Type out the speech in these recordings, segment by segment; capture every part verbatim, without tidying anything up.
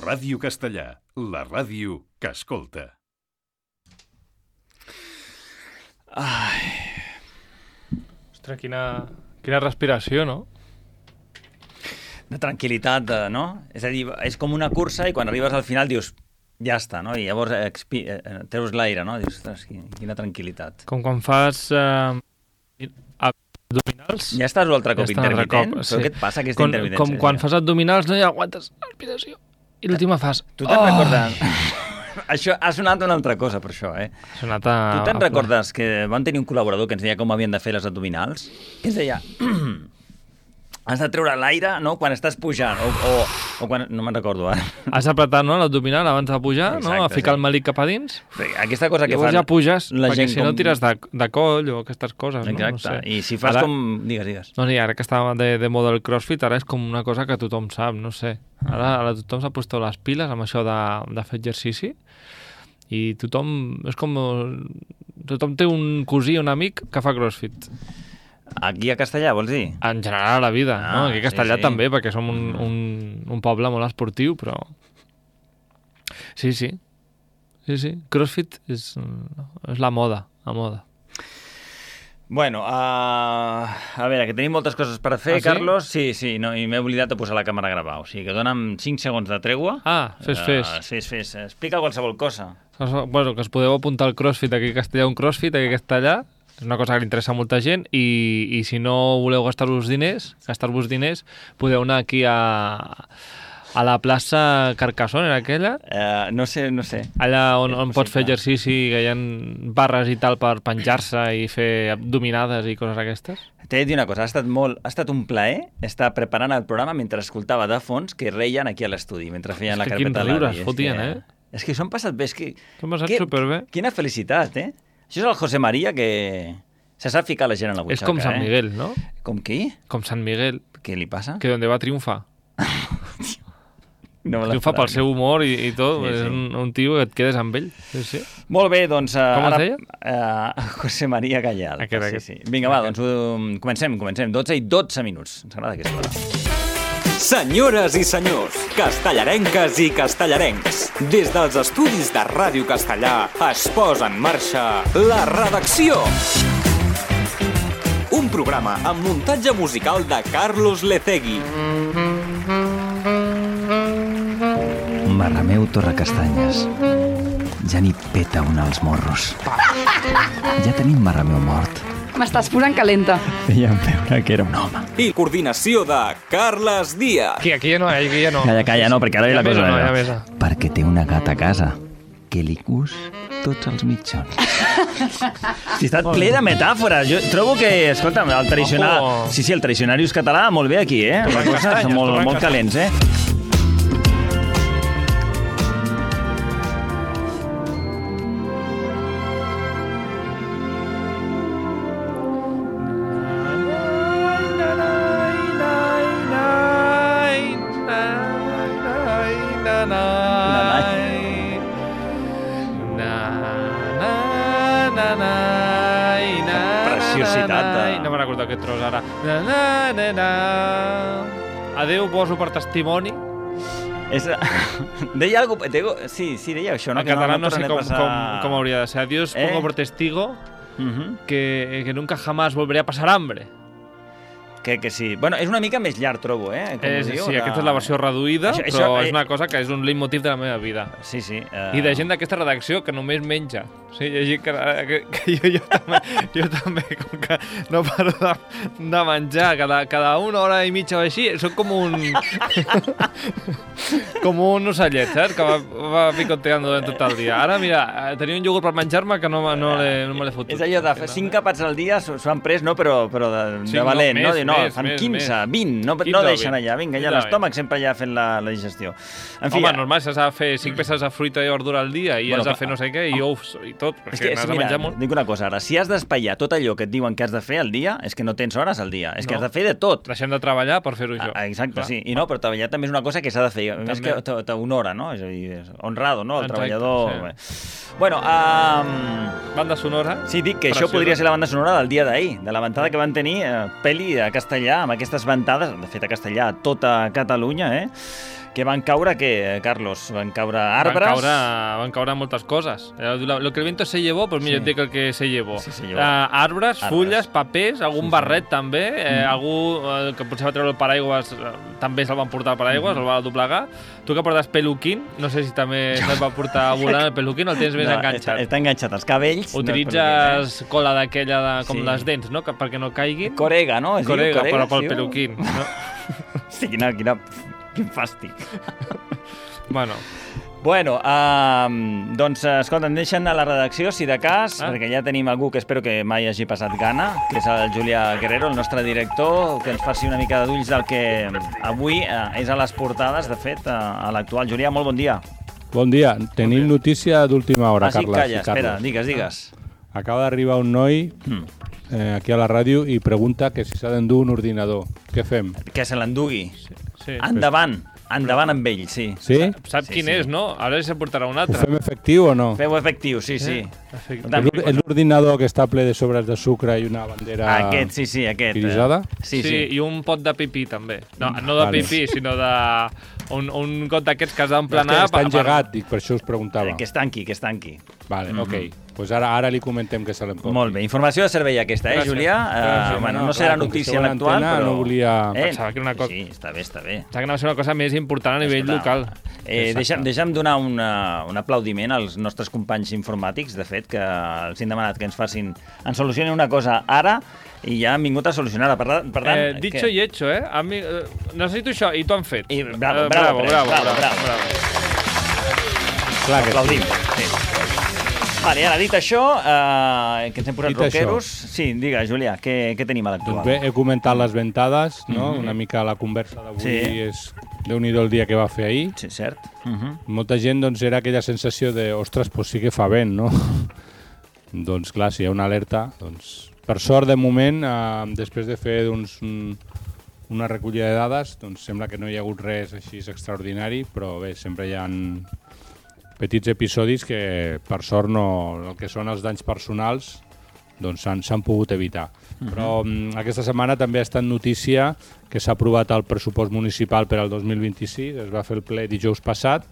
Ràdio Castellà, la ràdio que escolta. Ai... Ostres, quina, quina respiració, no? De tranquil·litat, de, no? És a dir, és com una cursa i quan arribes al final dius, ja està, no? I llavors expi... treus l'aire, no? Dius, ostres, quina tranquil·litat. Com quan fas eh, abdominals... Ja estàs un altre cop ja intermitent? Cop, sí. Però què et passa, aquesta com, intermitència? Com quan fas abdominals no hi aguantes respiració. I l'última fas... Tu te'n oh! recordes... Això ha sonat una altra cosa, per això, eh? Ha sonat a... Tu te'n recordes que vam tenir un col·laborador que ens deia com havien de fer les abdominals? Que ens deia... Has de treure l'aire, no?, quan estàs pujant, o, o, o quan... No me'n recordo, ara. Has d'apretar, no?, l'abdominal abans de pujar, Exacte, no?, a ficar sí. el melic cap a dins. Aquesta cosa que llavors fan... ja puges, la perquè gent si no com... tires de, de coll o aquestes coses, Exacte. no? No sé. I si fas ara... com... Digues, digues. No, sí, ara que estava de, de moda el crossfit, ara és com una cosa que tothom sap, no sé. Ara, ara tothom s'ha posat les piles amb això de, de fer exercici i tothom... És com... Tothom té un cosí, un amic que fa crossfit. Aquí a Castellà, vols dir? En general a la vida, ah, no? Aquí a Castellà sí, sí. també, perquè som un, un, un poble molt esportiu, però... Sí, sí. Sí, sí. CrossFit és, és la moda, la moda. Bueno, uh, a veure, que tenim moltes coses per fer, ah, sí? Carlos. Sí, sí, no, i m'he oblidat de posar la càmera a gravar. O sigui, que dona'm cinc segons de tregua. Ah, fes, fes. Uh, fes, fes. Explica qualsevol cosa. Bueno, que us podeu apuntar al CrossFit aquí a Castellà, un CrossFit aquí a Castellà. És una cosa que li interessa a molta gent i, i si no voleu gastar-vos diners, gastar-vos diners, podeu anar aquí a, a la plaça Carcassonne, era aquella? Uh, no sé, no sé. Allà on, on pots fer exercici, que hi ha barres i tal per penjar-se i fer abdominades i coses aquestes. T'he de dir una cosa, ha estat, molt, ha estat un plaer estar preparant el programa mentre escoltava de fons que reien aquí a l'estudi, mentre feien la carpeta de l'avi. Quins riures fotien, que, eh? És que s'ho han passat bé, és que... S'ho han passat que, superbé. Quina felicitat, eh? Això és el José María que se sap ficar la gent a la butxaca, és com Sant eh? Miguel, no? Com qui? Com Sant Miguel. Què li passa? Que donde va triomfar. No triomfa pel seu humor i, i tot. Sí, és sí. un, un tio que et quedes amb ell. Sí, sí. Molt bé, doncs... Uh, Com ara, es deia? Uh, José María Gallal. Aquest, sí, aquest. sí. Vinga, va, doncs uh, comencem, comencem. dotze i dotze minuts. Ens agrada aquesta hora. Senyores i senyors, castellarenques i castellarencs, des dels estudis de Ràdio Castellà es posa en marxa La Redacció. Un programa amb muntatge musical de Carlos Lecegui. Marrameu Torrecastanyes. Ja n'hi peta un als morros. Ja tenim Marrameu mort. M'estàs posant calenta. Veiem veure que era un home. I coordinació de Carles Díaz. Aquí, aquí ja no, aquí ja no. Calla, calla, no, perquè ara hi la cosa... No, ja besa. Perquè té una gata a casa que li cus tots els mitjons. Si està ple de metàfores. Jo trobo que, escolta'm, el tradicional... Ojo. Sí, sí, el tradicionarius català molt bé aquí, eh? Les coses són molt, molt calents, eh? Preciositat de... No me'n recordo aquest tros ara. Na, na, na, na. Adéu, poso per testimoni. És... Deia algo... Sí, sí, deia això, no? En català no, no sé tornaré com, a passar... com, com hauria de ser. Adiós, Eh? pongo por testigo Uh -huh. que, que nunca jamás volveré a pasar hambre. Que, que sí. Bueno, és una mica més llarg, trobo, eh? Com És, ho diu, sí, de... aquesta és la versió reduïda, Això- això, això, però eh, és una cosa que és un leitmotiv de la meva vida. Sí, sí. Uh... I de gent d'aquesta redacció que només menja. O sigui, hi ha gent que, que, que jo, jo, també, jo també, com que no paro de, de menjar cada, cada una hora i mitja o així, soc com un... com un ocellet, saps? Que va, va picoteando durant tot el dia. Ara, mira, tenia un iogurt per menjar-me que no, no, no me l'he fotut. És allò de cinc capats al dia s'ho han pres, no? Però, però de, Sí, de no, valent, no? més, De, no, més, fan més, quinze, més. vint, no, quinze no o deixen vint. allà. Vinga, ja quinze o l'estómac sempre allà fent la, la digestió. En fi, Home, ja... normal, s'has de fer cinc peces de fruita i verdura al dia i Bueno, has de clar, fer no sé què, i ous i tot, És perquè que, n'has sí, de mira, menjar molt. dic una cosa ara, si has d'espatllar tot allò que et diuen que has de fer al dia, és que no tens hores al dia, és que No. has de fer de tot. Deixem de treballar per fer-ho això. Ah, exacte, Clar. sí. I no, però treballar també és una cosa que s'ha de fer. A més També. que t'honora, no? És a dir, és honrado, no? El Exacte, treballador... sí. Bueno, um... Banda sonora. sí, dic que Preciosa. això podria ser la banda sonora del dia d'ahir, de la ventada que van tenir eh, pel·li a castellà, amb aquestes ventades, de fet a castellà, a tota Catalunya, eh? Que van caure, què, Carlos? Van caure arbres? Van caure, van caure moltes coses. Lo que el viento se llevó, pues mira, sí. dic el que se llevó. Sí, se llevó. Uh, arbres, arbres, fulles, papers, algun sí, barret sí. també, eh, mm. algú eh, que potser va treure el paraigües, eh, també se'l van portar el paraigües, mm. el va doblegar. Tu que portes peluquín, no sé si també no. et va portar volant el peluquín o el tens més no, enganxat. Està, està enganxat als cabells. Utilitzes no cola d'aquella, de, com sí. les dents, no? Que, perquè no caiguin. Corega, no? Es corega, corega, però pel sí, peluquín. No? Sí, quina, quina, quin fàstic. Bueno. Bueno, uh, doncs, escolta, em deixen a la redacció, si de cas, ah. perquè ja tenim algú que espero que mai hagi passat gana, que és el Julià Guerrero, el nostre director, que ens faci una mica d'ulls del que avui uh, és a les portades, de fet, uh, a l'actual. Julià, molt bon dia. Bon dia. Tenim bon dia. Notícia d'última hora, ah, sí, Carles. Calla, espera, digues, digues. Acaba d'arribar un noi eh, aquí a la ràdio i pregunta que si s'ha d'endur un ordinador. Què fem? Que se l'endugui. Sí. sí. Endavant. Endavant amb ell, sí. Sí? Sap sí, quin sí. és, no? Ara se portarà un altre. Ho fem efectiu o no? Feu efectiu, sí, sí. Eh? És l'ordinador que està ple de sobres de sucre i una bandera aquest, sí, sí, aquest. irisada? Sí, sí, sí. I un pot de pipí, també. No, no de vale. pipí, sinó de... Un, un got d'aquests que has d'emplenar... No, està engegat, dic, per això us preguntava. Que es tanqui, que es tanqui. Vale, mm -hmm. ok. Pues ara, ara li comentem que se l'emporti. Molt bé, informació de servei aquesta, eh, Gràcies. Julià? Uh, bueno, no, no serà notícia l'actual, però... No volia... Eh? Pensava que era una cosa... Sí, està bé, està bé. Pensava que anava a ser una cosa més important a nivell Escolta, local. Eh, deixa'm, deixa'm donar una, un aplaudiment als nostres companys informàtics, de fet, que els hem demanat que ens facin... Ens solucionin una cosa ara i ja han vingut a solucionar-la. Per, per tant... Eh, dicho que... i hecho, eh? Mi... Necessito això, i t'ho han fet. I, bravo, bravo, bravo, bravo, bravo, bravo, bravo. Clar que aplaudim. Sí. Vale, ara dit això, eh, que ens hem posat dit rockeros... Això. Sí, digue, Julià, què, què tenim a l'actual? Doncs bé, he comentat les ventades, no? Mm-hmm. Una mica la conversa d'avui sí. és... Déu-n'hi-do el dia que va fer ahir. Sí, cert. Mm-hmm. Molta gent, doncs, era aquella sensació de ostres, pues sí que fa vent, no? Doncs clar, si hi ha una alerta, doncs... Per sort, de moment, eh, després de fer doncs, un, una recollida de dades, doncs sembla que no hi ha hagut res així extraordinari, però bé, sempre hi ha petits episodis que, per sort, no, el que són els danys personals doncs s'han pogut evitar. Uh-huh. Però um, aquesta setmana també ha estat notícia que s'ha aprovat el pressupost municipal per al dos mil vint-i-sis, es va fer el ple dijous passat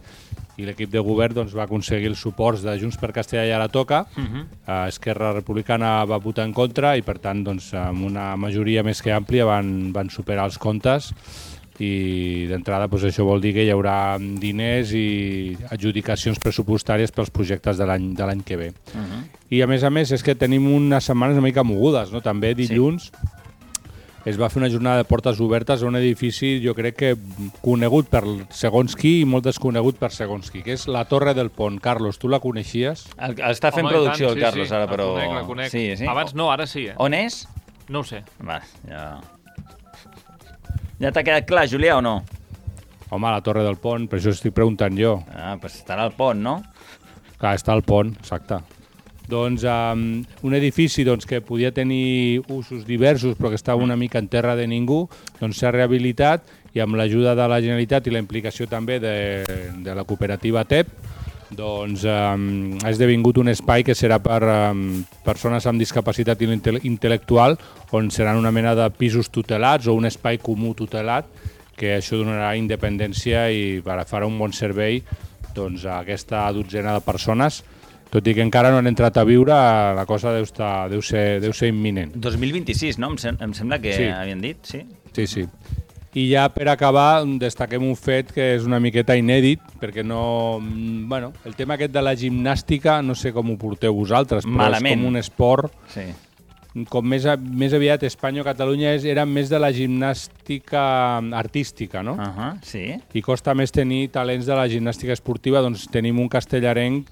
i l'equip de govern doncs, va aconseguir els suports de Junts per Castellà i Ara Toca. Uh-huh. uh, Esquerra Republicana va votar en contra i per tant doncs, amb una majoria més que àmplia van, van superar els comptes i d'entrada doncs, això vol dir que hi haurà diners i adjudicacions pressupostàries pels projectes de l'any de l'any que ve. Uh-huh. I a més a més és que tenim unes setmanes una mica mogudes, no? També dilluns sí. es va fer una jornada de portes obertes a un edifici, jo crec que conegut per segons qui i molt desconegut per segons qui, que és la Torre del Pont. Carlos, tu la coneixies? El, està fent Home, producció tant, el Carlos sí, sí. ara, però... La conec, la conec. Sí, sí. Abans no, ara sí. Eh? On és? No ho sé. Va, ja... Ja t'ha quedat clar, Julià, o no? Home, la Torre del Pont, per això estic preguntant jo. Ah, doncs estarà al pont, no? Clar, està al pont, exacte. Doncs um, un edifici doncs, que podia tenir usos diversos però que estava una mica en terra de ningú, doncs s'ha rehabilitat i amb l'ajuda de la Generalitat i la implicació també de, de la cooperativa T E P doncs um, ha esdevingut un espai que serà per um, persones amb discapacitat intel·lectual on seran una mena de pisos tutelats o un espai comú tutelat que això donarà independència i farà un bon servei doncs, a aquesta dotzena de persones. Tot i que encara no han entrat a viure, la cosa deu, estar, deu, ser, deu ser imminent. dos mil vint-i-sis, no? Em, sem em sembla que sí. havien dit, sí? Sí, sí. I ja per acabar destaquem un fet que és una miqueta inèdit, perquè no... Bueno, el tema aquest de la gimnàstica, no sé com ho porteu vosaltres, però Malament. És com un esport... Sí. Com més, a, més aviat Espanya o Catalunya és, era més de la gimnàstica artística, no? Uh -huh, sí. I costa més tenir talents de la gimnàstica esportiva, doncs tenim un castellarenc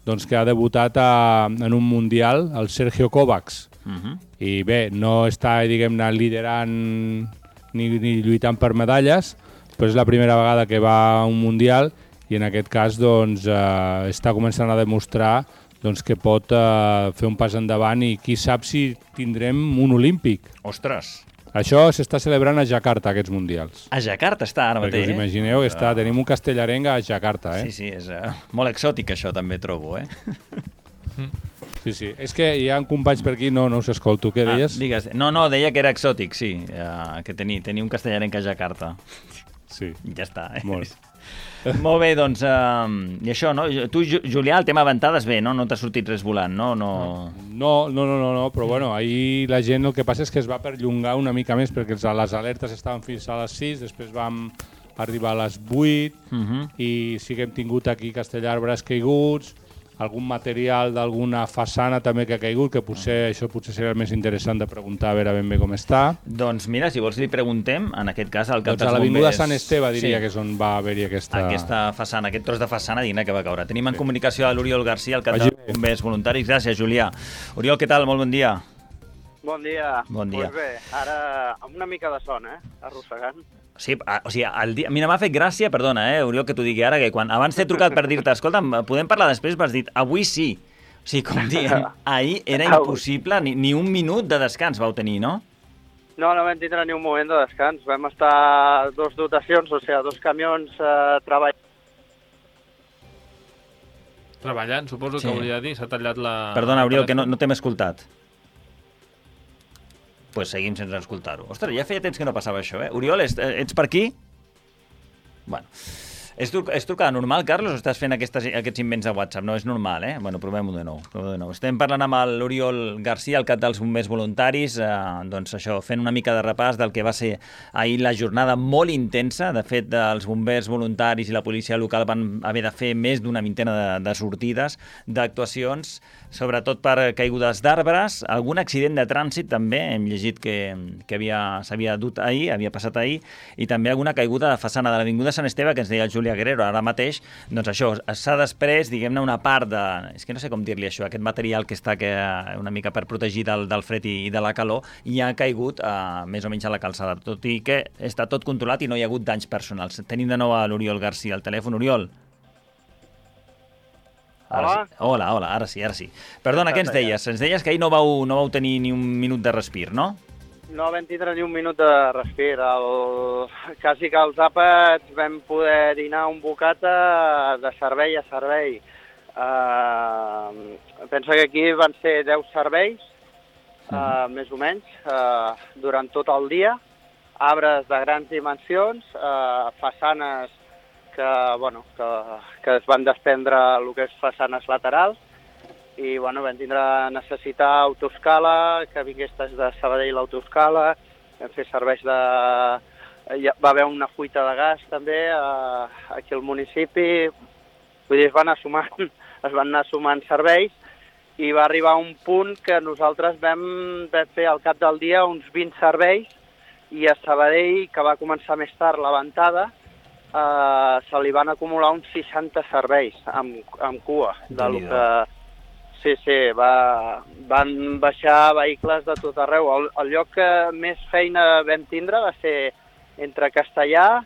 doncs, que ha debutat a, en un mundial, el Sergio Kovacs. Uh -huh. I bé, no està, diguem-ne, liderant ni, ni lluitant per medalles, però és la primera vegada que va a un mundial i en aquest cas doncs, eh, està començant a demostrar doncs, que pot eh, fer un pas endavant i qui sap si tindrem un olímpic. Ostres! Això s'està celebrant a Jakarta, aquests mundials. A Jakarta està ara mateix, Perquè us imagineu, eh? està, tenim un castellarenc a Jakarta. Eh? Sí, sí, és uh, molt exòtic això també trobo, eh? Sí, sí. És que hi ha companys per aquí, no, no us escolto. Què deies? Ah, digues. No, no, deia que era exòtic, sí, uh, que tenia, tenia un castellarenc a Jakarta. Sí. Ja està, eh? Molt. Molt bé, doncs, uh, i això, no? Tu, Julià, el tema ventades, bé, no? No t'ha sortit res volant, no? No, no, no, no, no, no però bueno, ahir la gent el que passa és que es va perllongar una mica més perquè les alertes estaven fins a les sis, després vam arribar a les vuit uh -huh. i sí que hem tingut aquí Castellar arbres caiguts, algun material d'alguna façana també que ha caigut, que potser això potser seria el més interessant de preguntar a veure ben bé com està. Doncs mira, si vols li preguntem, en aquest cas al cap doncs dels a l'Avinguda bombers... Sant Esteve diria sí. que és on va haver-hi aquesta... Aquesta façana, aquest tros de façana digne que va caure. Tenim en sí. comunicació a l'Oriol Garcia, el cap Vagi dels bombers voluntaris. Gràcies, Julià. Oriol, què tal? Molt bon dia. Bon dia. Bon dia. Pues bé, ara amb una mica de son, eh? Arrossegant. Sí, o sigui, el dia... Mira, m'ha fet gràcia, perdona, eh, Oriol, que t'ho digui ara, que quan abans t'he trucat per dir-te, escolta, podem parlar després, m'has dit, avui sí. O sigui, com dient, ahir era impossible, ni, ni un minut de descans vau tenir, no? No, no vam tindre ni un moment de descans. Vam estar dos dotacions, o sigui, dos camions eh, treballant. Treballant, suposo Sí. que volia dir, s'ha tallat la... Perdona, Oriol, que no, no t'hem escoltat. Doncs pues seguim sense escoltar-ho. Ostres, ja feia temps que no passava això, eh? Oriol, ets, ets per aquí? Bueno... És, tru és trucada normal, Carlos, o estàs fent aquestes, aquests invents de WhatsApp? No, és normal, eh? Bueno, provem-ho de nou. Provem de nou. Estem parlant amb l'Oriol Garcia, el cap dels bombers voluntaris, eh, doncs això, fent una mica de repàs del que va ser ahir la jornada molt intensa. De fet, els bombers voluntaris i la policia local van haver de fer més d'una vintena de, de sortides, d'actuacions, sobretot per caigudes d'arbres, algun accident de trànsit també, hem llegit que, que s'havia dut ahir, havia passat ahir, i també alguna caiguda de façana de l'Avinguda Sant Esteve, que ens deia el Julià Guerrero ara mateix. Doncs això, s'ha després, diguem-ne, una part de... És que no sé com dir-li això, aquest material que està que, una mica per protegir del, del fred i, i de la calor, i ha caigut eh, més o menys a la calçada, tot i que està tot controlat i no hi ha hagut danys personals. Tenim de nou a l'Oriol Garcia al telèfon. Oriol? Ara Hola. sí. Hola, hola, ara sí, ara sí. Perdona, què ens deies? Ens deies que ahir no vau, no vau tenir ni un minut de respir, no? No vam tindre ni un minut de respir. El... Quasi que als àpats vam poder dinar un bocata de servei a servei. Uh, penso que aquí van ser deu serveis, uh, més o menys, uh, durant tot el dia. Arbres de grans dimensions, uh, façanes que, bueno, que, que es van desprendre el que és façanes laterals, i bueno, vam tindre necessitar autoescala, que vingués des de Sabadell l'autoscala, vam fer serveis de... Va haver una fuita de gas també eh, aquí al municipi, vull dir, es van anar sumant, es van anar sumant serveis, i va arribar un punt que nosaltres vam, vam fer al cap del dia uns vint serveis, i a Sabadell, que va començar més tard la ventada, eh, se li van acumular uns seixanta serveis amb, amb cua, de lo que... Sí, sí, va, van baixar vehicles de tot arreu. El, el lloc que més feina vam tindre va ser entre Castellar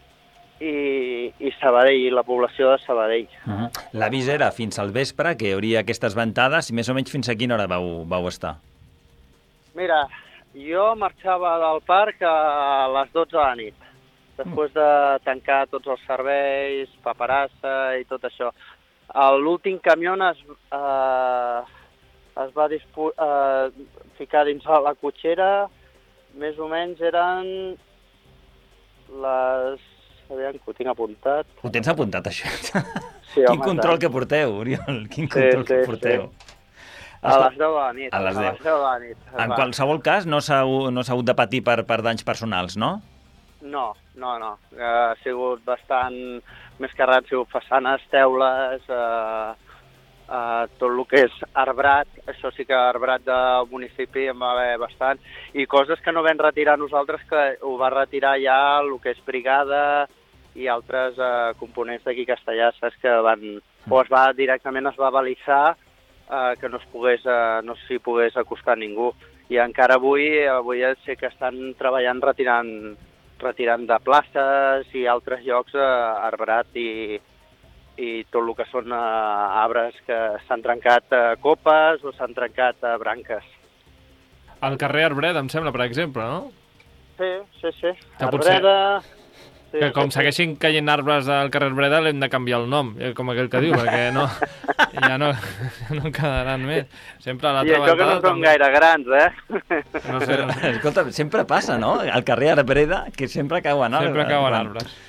i, i Sabadell, i la població de Sabadell. Uh -huh. L'avís era fins al vespre, que hi hauria aquestes ventades, i més o menys fins a quina hora vau, vau estar? Mira, jo marxava del parc a les dotze de la nit, després de tancar tots els serveis, paperassa i tot això. L'últim camió es, eh, es va eh, ficar dins la cotxera, més o menys eren les... Aviam, que ho tinc apuntat. Ho tens apuntat, això? Sí, Quin home, control tant. que porteu, Oriol, quin Sí, control sí, que porteu. sí. A les deu de la nit. A les deu. A les deu de la nit. En Va. qualsevol cas, no s'ha no s'ha hagut de patir per, per danys personals, no? No, no, no. Eh, ha sigut bastant més que res, han sigut façanes, teules, eh, eh, tot el que és arbrat, això sí que arbrat del municipi en va haver bastant, i coses que no vam retirar nosaltres, que ho va retirar ja el que és brigada i altres eh, components d'aquí Castellà, saps, que van... O es va, directament es va balisar eh, que no es pogués, eh, no s'hi pogués acostar ningú. I encara avui, avui sé que estan treballant retirant retirant de places i altres llocs eh, arbrat i, i tot el que són eh, arbres que s'han trencat eh, copes o s'han trencat eh, branques. Al carrer Arbret, em sembla, per exemple, no? Sí, sí, sí. Que potser- Arbreda... Sí, Que com sí, sí. segueixin caient arbres al carrer Breda l'hem de canviar el nom, eh, com aquell que diu, perquè no, ja no, no en quedaran més. Sempre a I l'altra això que no ventada són gaire grans, eh? No sé, Però, escolta, sempre passa, no? Al carrer Arbreda, que sempre cauen arbres. sempre cauen Quan- arbres.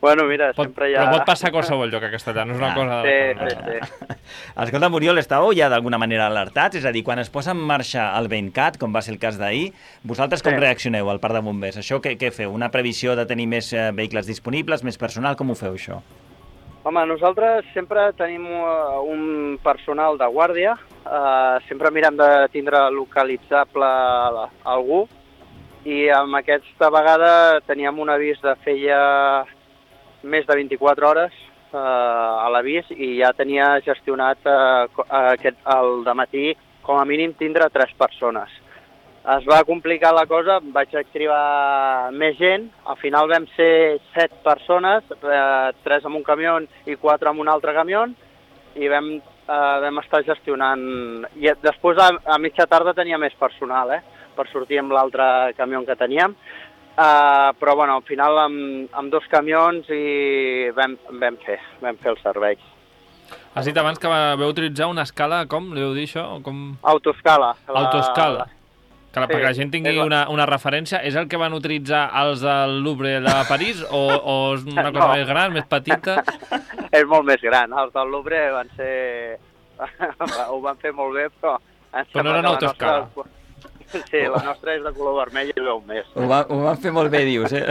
Bueno, mira, Pot, sempre hi ha... Però pot passar a qualsevol lloc a Castellà, no és una Ah, cosa... Sí, de... sí, sí. Escolta, Oriol, estàveu ja d'alguna manera alertats? És a dir, quan es posa en marxa el Ventcat, com va ser el cas d'ahir, vosaltres com Sí. reaccioneu al parc de bombers? Això què, què feu? Una previsió de tenir més eh, vehicles disponibles, més personal? Com ho feu, això? Home, nosaltres sempre tenim uh, un personal de guàrdia, uh, sempre mirem de tindre localitzable algú, i amb aquesta vegada teníem un avís de feia més de vint-i-quatre hores uh, a l'avís i ja tenia gestionat uh, aquest, el dematí com a mínim tindre tres persones. Es va complicar la cosa, vaig activar més gent, al final vam ser set persones, eh, tres amb un camió i quatre amb un altre camió, i vam, eh, vam estar gestionant. I després, a, a mitja tarda, tenia més personal, eh, per sortir amb l'altre camió que teníem, eh, però bueno, al final amb, amb dos camions i vam, vam, fer, vam fer el servei. Has dit abans que vau utilitzar una escala, com li heu dit això? Com... Autoescala. La, Autoescala. La... Que la, Sí, perquè la gent tingui és la- una, una referència, és el que van utilitzar els del Louvre de París o, o és una cosa No. més gran, més petita? És molt més gran. Els del Louvre van ser... ho van fer molt bé, però... em Però no sembla eren que la autoescala. nostra- Sí, la nostra és de color vermell i veu més. Ho, va, ho van fer molt bé, dius, eh?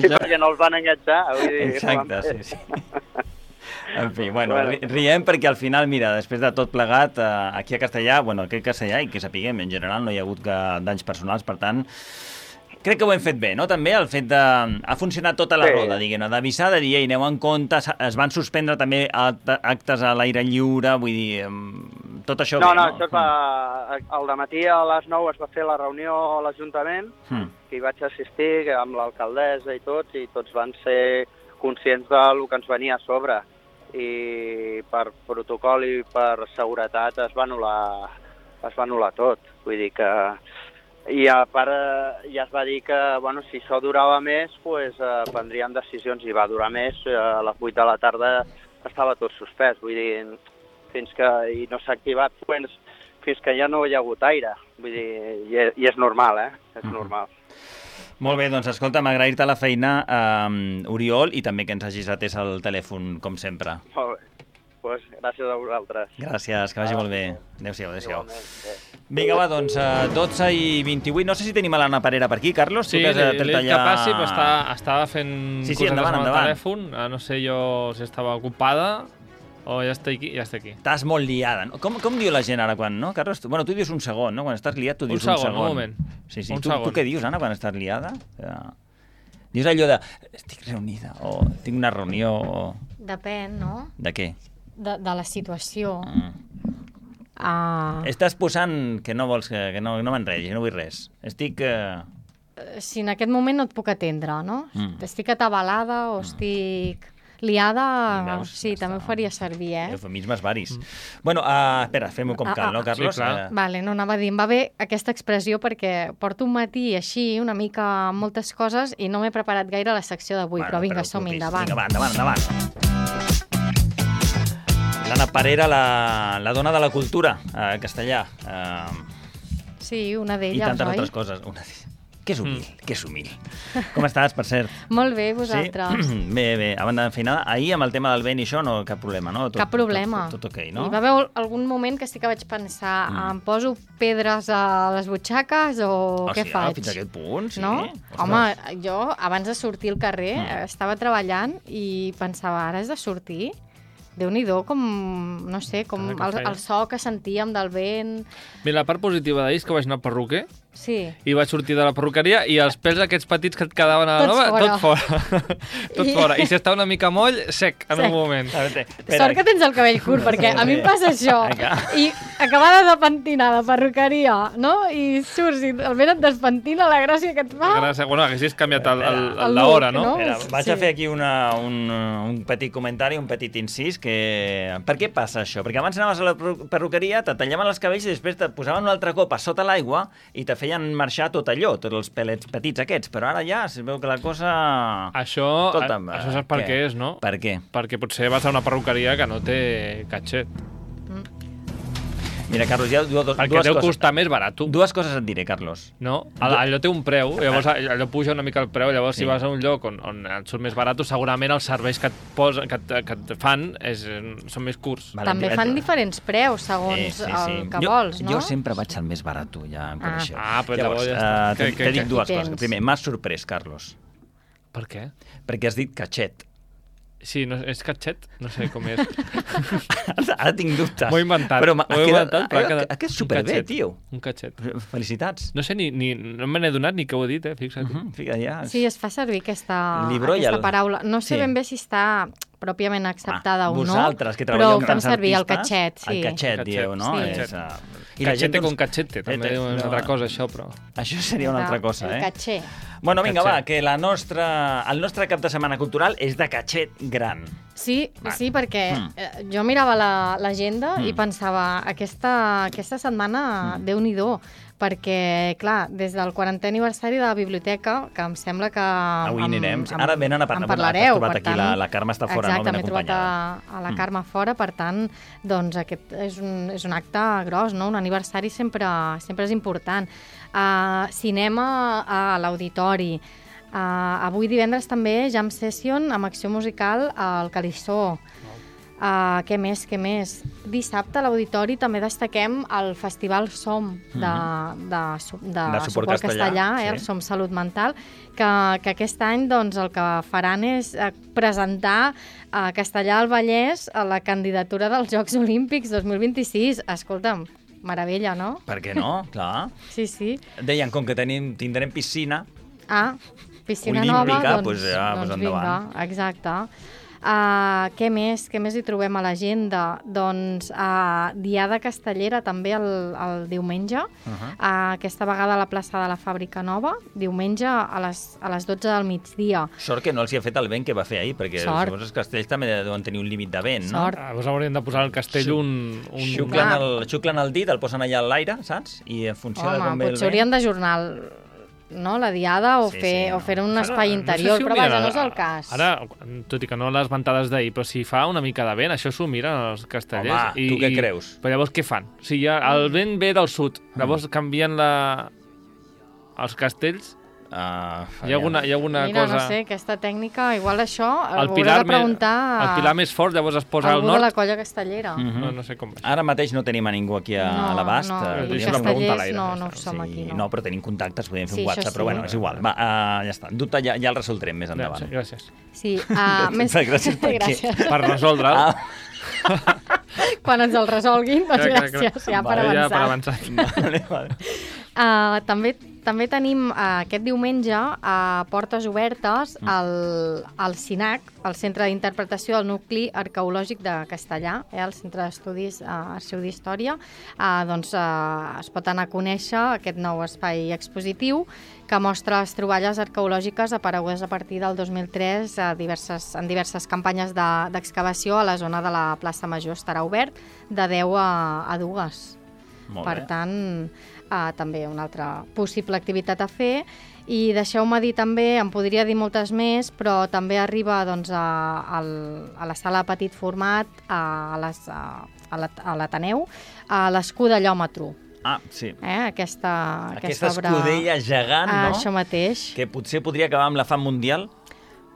Sí, perquè no els van enganxar. Vull dir, ho van Exacte, fer. sí, sí. En fi, bueno, Bueno. ri- riem perquè al final, mira, després de tot plegat, eh, aquí a Castellà, bueno, aquí a Castellà, i que sapiguem, en general no hi ha hagut que, danys personals, per tant, crec que ho hem fet bé, no? També el fet de... Ha funcionat tota la Sí. roda, diguem-ne, d'avisar, de dir, ei, aneu en compte, s- es van suspendre també act- actes a l'aire lliure, vull dir, em, tot això No, bé, no, no? això es va... Al dematí a les nou es va fer la reunió a l'Ajuntament, Mm. que hi vaig assistir que amb l'alcaldessa i tots, i tots van ser conscients del que ens venia a sobre. I per protocol i per seguretat es va anul·lar, es va anul·lar tot. Vull dir que... I a part eh, ja es va dir que bueno, si això durava més, pues, eh, prendrien decisions i va durar més. Eh, a les vuit de la tarda estava tot suspès. Vull dir, fins que i no s'ha activat pues, fins que ja no hi ha hagut aire. Vull dir, i, és- i és normal, eh? És Mhm. normal. Molt bé, doncs escolta'm, agrair-te la feina, eh, Oriol, i també que ens hagis atès el telèfon, com sempre. Molt bé. Pues, gràcies a vosaltres. Gràcies, que vagi molt bé. Adéu-siau, adéu-siau. Igualment, bé. Vinga, va, doncs, eh, dotze i vint-i-vuit. No sé si tenim a l'Anna Parera per aquí, Carlos. Sí, Tu que has, li, eh, li tret he dit que allà- passi, però està, estava fent Sí, sí, cosetes endavant, amb el endavant. telèfon. Ah, no sé jo si estava ocupada o ja està aquí. Ja està aquí. Estàs molt liada. No? Com, com diu la gent ara quan, no, Carlos? Tu, bueno, tu dius un segon, no? Quan estàs liat, tu Un dius segon, un segon. un moment. Sí, sí. Un tu, segon. tu què dius, Anna, quan estàs liada? Ja. Dius allò de, estic reunida, o tinc una reunió, o... Depèn, no? De què? De, de la situació. Mm. Uh, Estàs posant que no vols que, que no, no m'enredis, no vull res. Estic... Eh... si en aquest moment no et puc atendre, no? Mm. Estic atabalada o estic liada, Veus? sí, Ja també està. ho faria servir, eh? Eufemismes varis. Mm. Bueno, uh, espera, fem-ho com Ah, cal, ah, no, Carlos? sí, clar. Eh, Vale, no, anava a dir, em va bé aquesta expressió perquè porto un matí així, una mica amb moltes coses i no m'he preparat gaire la secció d'avui, bueno, però vinga, preocupis. som-hi, endavant. Vinga, va, endavant, endavant. L'Anna Parera, la, la dona de la cultura a castellà. Eh, Sí, una I d'elles, tantes oi? altres coses. Una d'elles. Que és humil, mm. que és humil. Com estàs, per cert? Molt bé, vosaltres. Sí? Bé, bé. A banda de feinada, ahir amb el tema del vent i això, no, cap problema, no? Tot, Cap problema. Tot, tot, tot ok, no? Hi va haver algun moment que sí que vaig pensar, Mm. em poso pedres a les butxaques o Oh, què sí, faig? Ah, fins a aquest punt, sí. No? Ostres. Home, jo abans de sortir al carrer Mm. mm. estava treballant i pensava, ara has de sortir? Déu-n'hi-do, com, no sé, com Ah, que el, feina. el so que sentíem del vent... Mira, la part positiva d'ahir és que vaig anar al perruquer Sí. i vaig sortir de la perruqueria i els pèls aquests petits que et quedaven a la Tots nova, fora. tot fora. tot I- fora. I si està una mica moll, sec, en Sec. un moment. A veure, espera. Sort que tens el cabell curt, perquè a mi em passa això. Vinga. I acabada de pentinar de perruqueria, no? I surts i el vent et despentina la gràcia que et fa. Gràcies. Bueno, haguessis canviat el, el, El el l'hora, look, no? no? Espera, vaig Sí. a fer aquí una, un, un petit comentari, un petit incís, que... Per què passa això? Perquè abans anaves a la perru- perruqueria, te tallaven els cabells i després te posaven un altre cop a sota l'aigua i te feien marxar tot allò, tots els pelets petits aquests, però ara ja es veu que la cosa... Això, Escolta'm, això saps per què? què és, no? Per què? Perquè potser vas a una perruqueria que no té catxet. Mira, Carlos, hi ha dues, dues Perquè deu coses. costar més barat. Dues coses et diré, Carlos. No? Allò té un preu, llavors allò puja una mica el preu, llavors si vas a un lloc on, on et surt més barat, segurament els serveis que et, posa, que et, que et fan és, són més curts. Vale, També et- fan diferents preus, segons Eh, sí, sí. el que jo, vols, no? Jo sempre vaig al més barat, ja em coneixeu. Ah, pues Llavors, llavors ja està. eh, te, Que- que- te dic que- dues Qui coses. tens? Primer, m'has sorprès, Carlos, Per què? perquè has dit catxet. Sí, no, és catxet? No sé com és. Ara, ara tinc dubtes. M'ho he inventat. Però m'ha M'ho he quedat- inventat, però ha ha- quedat ha quedat un superbé, catxet. tio. Un catxet. Felicitats. No sé, ni, ni, no me n'he donat ni que ho he dit, eh? Fixa't. Uh -huh, fica, ja. Sí, es fa servir aquesta, Libro i aquesta el- paraula. No sé Sí. ben bé si està pròpiament acceptada Ah, o no, vosaltres, que però treballeu ho amb fem tants servir, el artistes, catxet, sí. El catxet, Catxet, dieu, no? sí. És, uh... I la gent doncs- con cachete, també Eh, és una no, altra cosa, això, però... Això seria una altra cosa, el eh? catxer. Bueno, vinga, Catxet. va, que la nostra, el nostre cap de setmana cultural és de catxet gran. Sí, sí, perquè Mm. eh, jo mirava la- l'agenda Mm. i pensava, aquesta, aquesta setmana, mm. Déu-n'hi-do, perquè, clar, des del quarantè aniversari de la biblioteca, que em sembla que... Avui em- anirem. em- Ara venen a parlar. En parlareu, Has trobat per aquí, tant... la, la Carme està fora, Exacte, no? m'he Ben trobat a, acompanyada. a la Mm. Carme fora, per tant, doncs aquest és un, és un acte gros, no? Un aniversari sempre, sempre és important. Uh, cinema a l'auditori. Uh, avui divendres també Jam Session amb acció musical al Calissó. Uh, què més, què més? Dissabte a l'Auditori també destaquem el Festival Som de, de, su- de, De suport castellà, castellà, eh, sí. el Som Salut Mental, que, que aquest any doncs, el que faran és eh, presentar a Castellà al Vallès a la candidatura dels Jocs Olímpics dos mil vint-i-sis. Escolta'm, meravella, no? Per què no? Clar. Sí, sí. Deien, com que tenim, tindrem piscina, Ah, piscina Olímpica, nova, doncs, doncs ja, doncs doncs endavant. vinga, exacte. Uh, què més? Què més hi trobem a l'agenda? Doncs uh, Diada Castellera també el, el diumenge, uh -huh. uh, aquesta vegada a la plaça de la Fàbrica Nova, diumenge a les, a les dotze del migdia. sort que no els hi ha fet el vent que va fer ahir, perquè Sort. llavors els castells també deuen tenir un límit de vent, no? Sort. Ah, llavors haurien de posar al castell un... un... Xuclen el, xuclen el dit, el posen allà a l'aire, saps? I en funció de Home, com ve el potser vent... haurien d'ajornar el- no, la diada o Sí, fer, sí, o no. fer un Ara, espai no sé interior, si ho però vaja, miren, no és el cas. Ara, tot i que no les ventades d'ahir, però si fa una mica de vent, això s'ho miren els castellers. Home, tu què creus? Però llavors què fan? O sigui, ja, el vent ve del sud, llavors canvien la... els castells. Uh, Hi ha alguna, hi ha alguna Mira, cosa... no sé, aquesta tècnica, igual això el ho hauré pilar, de preguntar més, el pilar més fort llavors es posa a al algú de la nord. colla castellera. Mhm. No, no sé com va. Ara mateix no tenim a ningú aquí a, No, a l'abast. no, eh, i podríem una pregunta a castellers l'aire, no, ja no està. som aquí, no. no, però tenim contactes, podem fer Sí, un això WhatsApp, sí. però bueno, és igual. Va, uh, ja està. Dubte ja, ja el resoldrem més Ja, endavant. sí, gràcies. Sí, uh, més... Gràcies per què? gràcies. Per resoldre'l. Ah, Quan ens el resolguin, doncs Clar, clar, clar. gràcies, ja per Vale, ja avançar. per avançar. vale, vale. Uh, també també tenim uh, aquest diumenge a uh, portes obertes al, al CINAC, el Centre d'Interpretació del Nucli Arqueològic de Castellà, eh, el Centre d'Estudis uh, Arxiu d'Història. Uh, doncs uh, es pot anar a conèixer aquest nou espai expositiu que mostra les troballes arqueològiques aparegudes a partir del dos mil tres a diverses, en diverses campanyes de- d'excavació a la zona de la plaça Major. Estarà obert de deu a, a dues. Molt Per bé. tant, uh, també una altra possible activitat a fer. I deixeu-me dir també, em podria dir moltes més, però també arriba doncs, a, a, a la sala de petit format, a, les, a, a l'At- a l'Ateneu, a l'escudellòmetre. Ah, sí. Eh? Aquesta, Aquesta obra... escudella gegant, Ah, no? això mateix. Que potser podria acabar amb la fam mundial.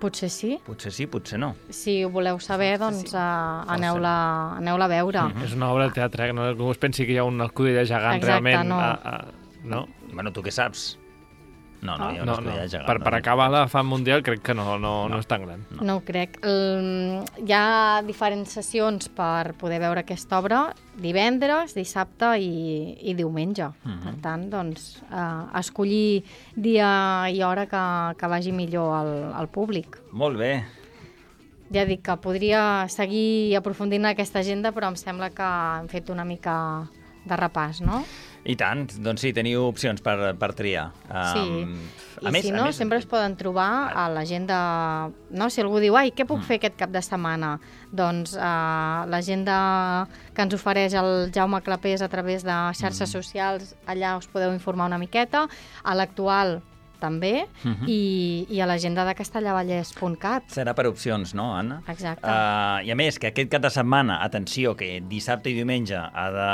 Potser sí. Potser sí, potser no. Si ho voleu saber, doncs uh, aneu-la aneu a veure. És una obra de teatre, que no ningú es pensi que hi ha una escudella gegant Exacte, realment. no. A, a, no? Bueno, tu què saps? No, no, hi ha una No, no. escudella gegant. Per, per no? acabar la fam mundial crec que no, no, no és tan gran. No, no ho crec. El, hi ha diferents sessions per poder veure aquesta obra divendres, dissabte i, i diumenge. Uh -huh. Per tant, doncs, eh, escollir dia i hora que, que vagi millor al, al públic. Molt bé. Ja dic que podria seguir aprofundint en aquesta agenda, però em sembla que hem fet una mica de repàs, no? I tant, doncs sí, teniu opcions per, per triar. Sí, Um, i si no, sempre es poden trobar a l'agenda... No? Si algú diu, ai, què puc fer aquest cap de setmana? Doncs uh, l'agenda que ens ofereix el Jaume Clapés a través de xarxes socials, allà us podeu informar una miqueta. A l'actual també, Mhm. i, i a l'agenda de castellavallès punt cat. Serà per opcions, no, Anna? Exacte. Uh, I a més, que aquest cap de setmana, atenció, que dissabte i diumenge ha de...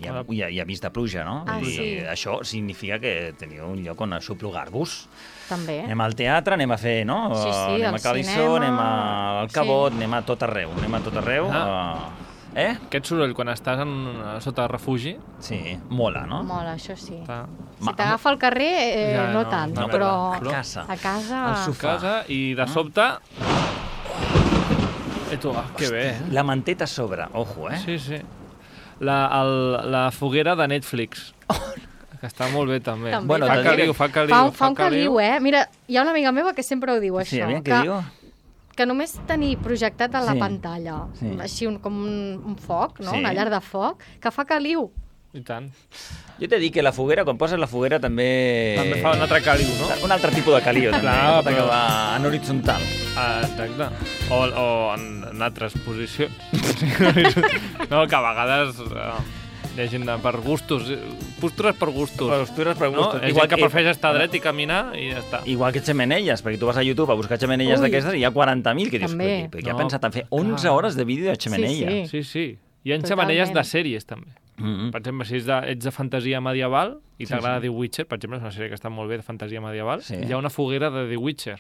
Hi ha, hi ha, hi ha vist de pluja, no? Ah, I sí. això significa que teniu un lloc on aixoplugar-vos. També. Anem al teatre, anem a fer, no? Sí, sí, anem al a Calissó, cinema. anem a- al Cabot, sí. anem a tot arreu, anem a tot arreu. Ah. Uh, eh? Aquest soroll, quan estàs en, sota refugi... Sí, mola, no? Mola, això sí. Està... Si t'agafa al carrer, eh, Ja, no no, tant, no, però a casa. a casa... Al a sofà. casa i de sobte... I tu, ah, que bé, eh? La manteta a sobre, ojo, eh? Sí, sí. La, el, la foguera de Netflix. Que està molt bé, també. També, Bueno, fa també. caliu, fa caliu, Fa, fa un caliu, eh? Mira, hi ha una amiga meva que sempre ho diu, Sí, això. aviam, què que, diu? que només tenir projectat a la Sí. pantalla, Sí. així un, com un, un foc, no? Sí. Una llar de foc, que fa caliu. I tant. Jo t'he dit que la foguera, quan poses la foguera, també... També fa un altre caliu, no? Un altre tipus de caliu, també. Clar, Pot però- acabar en horitzontal. Ah, exacte. O, o en, en altres posicions. No, que a vegades eh, hi ha gent de, per gustos. eh, Postures per gustos. Postures per No? gustos. Hi ha gent que prefereix estar dret i caminar i ja està. Igual que xemeneies, perquè tu vas a YouTube a buscar xemeneies Ui. d'aquestes i hi ha quaranta mil que dius, També. però què ha No, pensat en fer onze clar. hores de vídeo de xemeneia? Sí, Sí, sí. Hi ha Totalment. xemeneies de sèries, també. Mm -hmm. Per exemple, si ets de, ets de fantasia medieval i Sí, t'agrada sí. The Witcher, per exemple, és una sèrie que està molt bé de fantasia medieval, Sí. hi ha una foguera de The Witcher.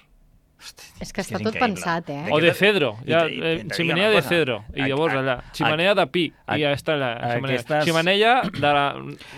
És que És que està és tot increïble. pensat, eh? De O què de te- Cedro, i hi ha te- i eh, te dic ximenea una de cosa. Cedro, i A- llavors a- allà, a- ximenea de pi, a- i ja està la ximenea. aquestes- Ximenea de la,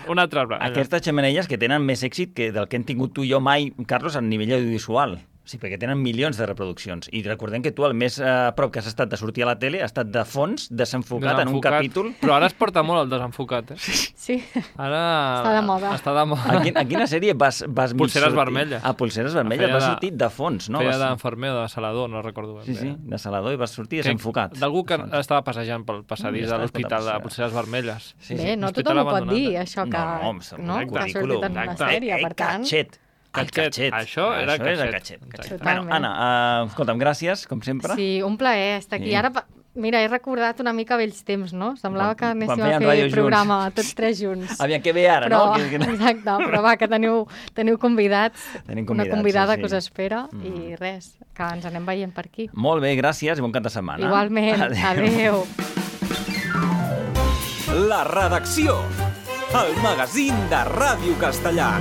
un altre arbre. allà. Aquestes xemeneies que tenen més èxit que del que hem tingut tu i jo mai, Carlos, a nivell audiovisual. Sí, perquè tenen milions de reproduccions. I recordem que tu el més a prop que has estat de sortir a la tele ha estat de fons, desenfocat, en un Desenfocat. capítol. Però ara es porta molt el desenfocat, eh? Sí. Ara... Està de moda. Està de moda. A, quin, a quina sèrie vas, vas mig Pulseres sortir? vermelles. A Pulseres vermelles, Feia vas de- sortir de fons, no? Feia Vas- d'enfermer o de salador, no recordo ben Sí, bé. sí, de salador i vas sortir Que- desenfocat. D'algú que De fons. estava passejant pel passadís Mm, de estàs l'hospital per la de Pulseres Vermelles. Sí, Bé, sí. no Hospital tothom ho pot abandonat. dir, això, que, No, home, està no, molt que ha ridículum. sortit en una Exacte. sèrie, Eh, per tant... Catxet. El Catxet. catxet. Això era Això és el catxet. catxet. Exacte. catxet. Totalment. Bueno, Anna, uh, escolta'm, gràcies, com sempre. Sí, un plaer estar aquí. Sí. Ara, pa- mira, he recordat una mica vells temps, no? Semblava que Quan- anéssim quan a feien fer ràdio junts. programa tots tres junts. Aviam, què ve ara, però, no? Que, que... Exacte, però va, que teniu, teniu convidats, Tenim una convidats, convidada sí, sí. que us espera, Mm. i res, que ens anem veient per aquí. Molt bé, gràcies i bon cap de setmana. Igualment, adeu. La redacció. El magazín de Ràdio Castellà.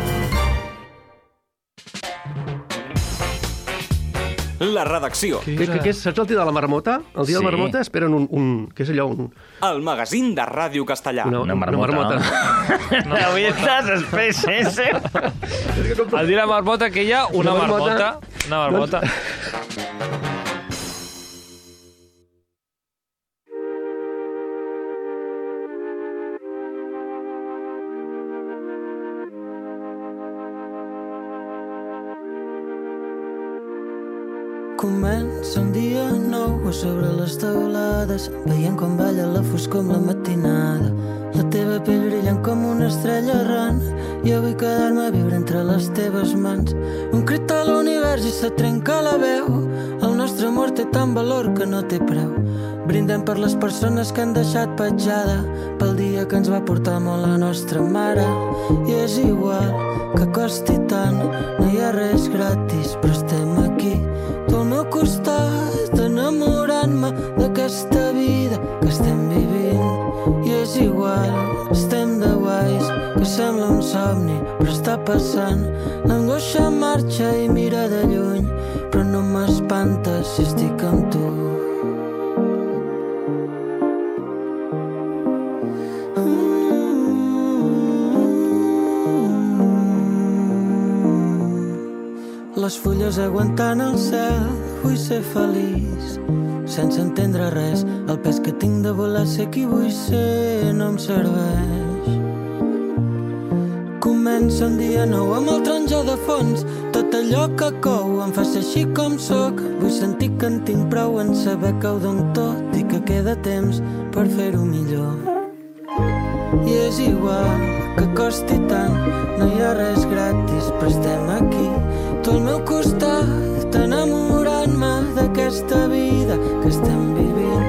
La redacció. Què, què, què és? Saps el dia de la marmota? El dia Sí. de la marmota esperen un, un... Què és allò? Un, El magazín de Ràdio Castellà. una, Una marmota, marmota. no? Avui estàs espès, eh? Al dir la marmota que hi ha, una, Una marmota, marmota. una marmota. Comença un dia nou a sobre les teulades, veient com balla la foscor amb la matinada. La teva pell brillant com una estrella errant, i jo vull quedar-me a viure entre les teves mans. Un crit a l'univers i se trenca la veu, el nostre amor té tant valor que no té preu. Brindem per les persones que han deixat petjada, pel dia que ens va portar molt la nostra mare. I és igual que costi tant, no hi ha res gratis, però estem aquí. Tu al meu costat, enamorant-me d'aquesta vida que estem vivint. I és igual, estem de guais, que sembla un somni, però està passant. L'angoixa marxa i mira de lluny, però no m'espanta si estic amb tu. Les fulles aguantant el cel, vull ser feliç, sense entendre res. El pes que tinc de volar, ser qui vull ser, no em serveix. Comença un dia nou amb el taronja de fons, tot allò que cou em fa ser així com sóc. Vull sentir que en tinc prou en saber que ho dono tot i que queda temps per fer-ho millor. I és igual que costi tant, no hi ha res gratis, però estem aquí. Tu al meu costat, enamorant-me d'aquesta vida que estem vivint.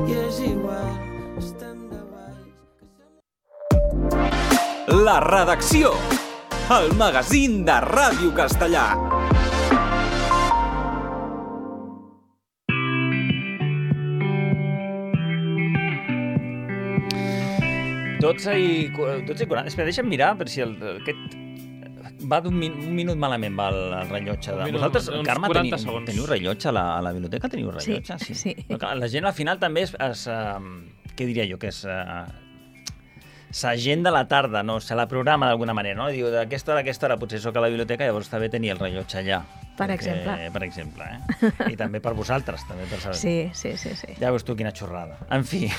I és igual, estem de guais. La redacció. el magazín de Ràdio Castellà. dotze i quaranta. Espera, deixa'm mirar, per si el, aquest... Va d'un min, un minut malament, va el, el rellotge. De... Minut, Vosaltres, Carme, teniu, segons. teniu rellotge a la, a la biblioteca? Teniu rellotge? Sí, sí. No, clar, la gent al final també és... és uh, què diria jo? Que és... Uh, s'agenda la tarda, no? Se la programa d'alguna manera, no? Diu, d'aquesta hora a aquesta hora potser soc a la biblioteca, llavors està bé tenir el rellotge allà. Per perquè, exemple. Per exemple, eh? I també per vosaltres, també per saber. Sí, sí, sí, sí. Ja veus tu quina xorrada. En fi.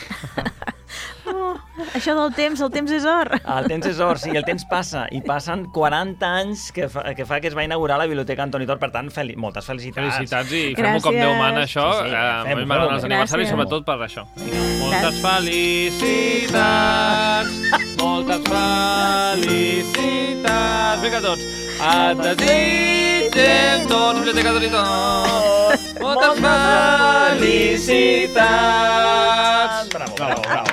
Oh, això del temps, el temps és or. El temps és or, sí, el temps passa. I passen quaranta anys que fa que, fa que es va inaugurar la Biblioteca Antoni Tor. Per tant, fel moltes felicitats. Felicitats i fem-ho com Déu mana, això. Sí, sí, eh, fem-ho, M'agraden els fem-ho. aniversaris, sobretot per això. Moltes felicitats, moltes felicitats. Vinga, tots. Et desitgem tots, Biblioteca Antoni Tor. Moltes felicitats. Bravo, bravo, bravo.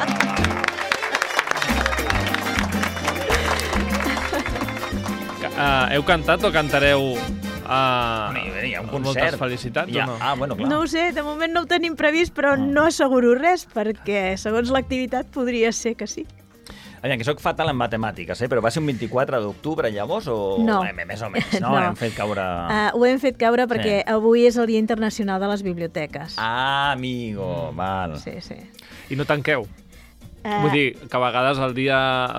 Uh, heu cantat o cantareu uh, hi ha un concert. moltes felicitats Ja. o no? Ah, bueno, clar. No ho sé, de moment no ho tenim previst, però no asseguro res, perquè segons l'activitat podria ser que sí. Aviam, que soc fatal en matemàtiques, eh? Però va ser un vint-i-quatre d'octubre, llavors, o... No. Eh, més o menys, no? No. Hem fet caure... Uh, ho hem fet caure perquè Sí. avui és el Dia Internacional de les Biblioteques. Ah, amigo, val. Sí, sí. I no tanqueu? Uh, Vull dir, que a vegades el dia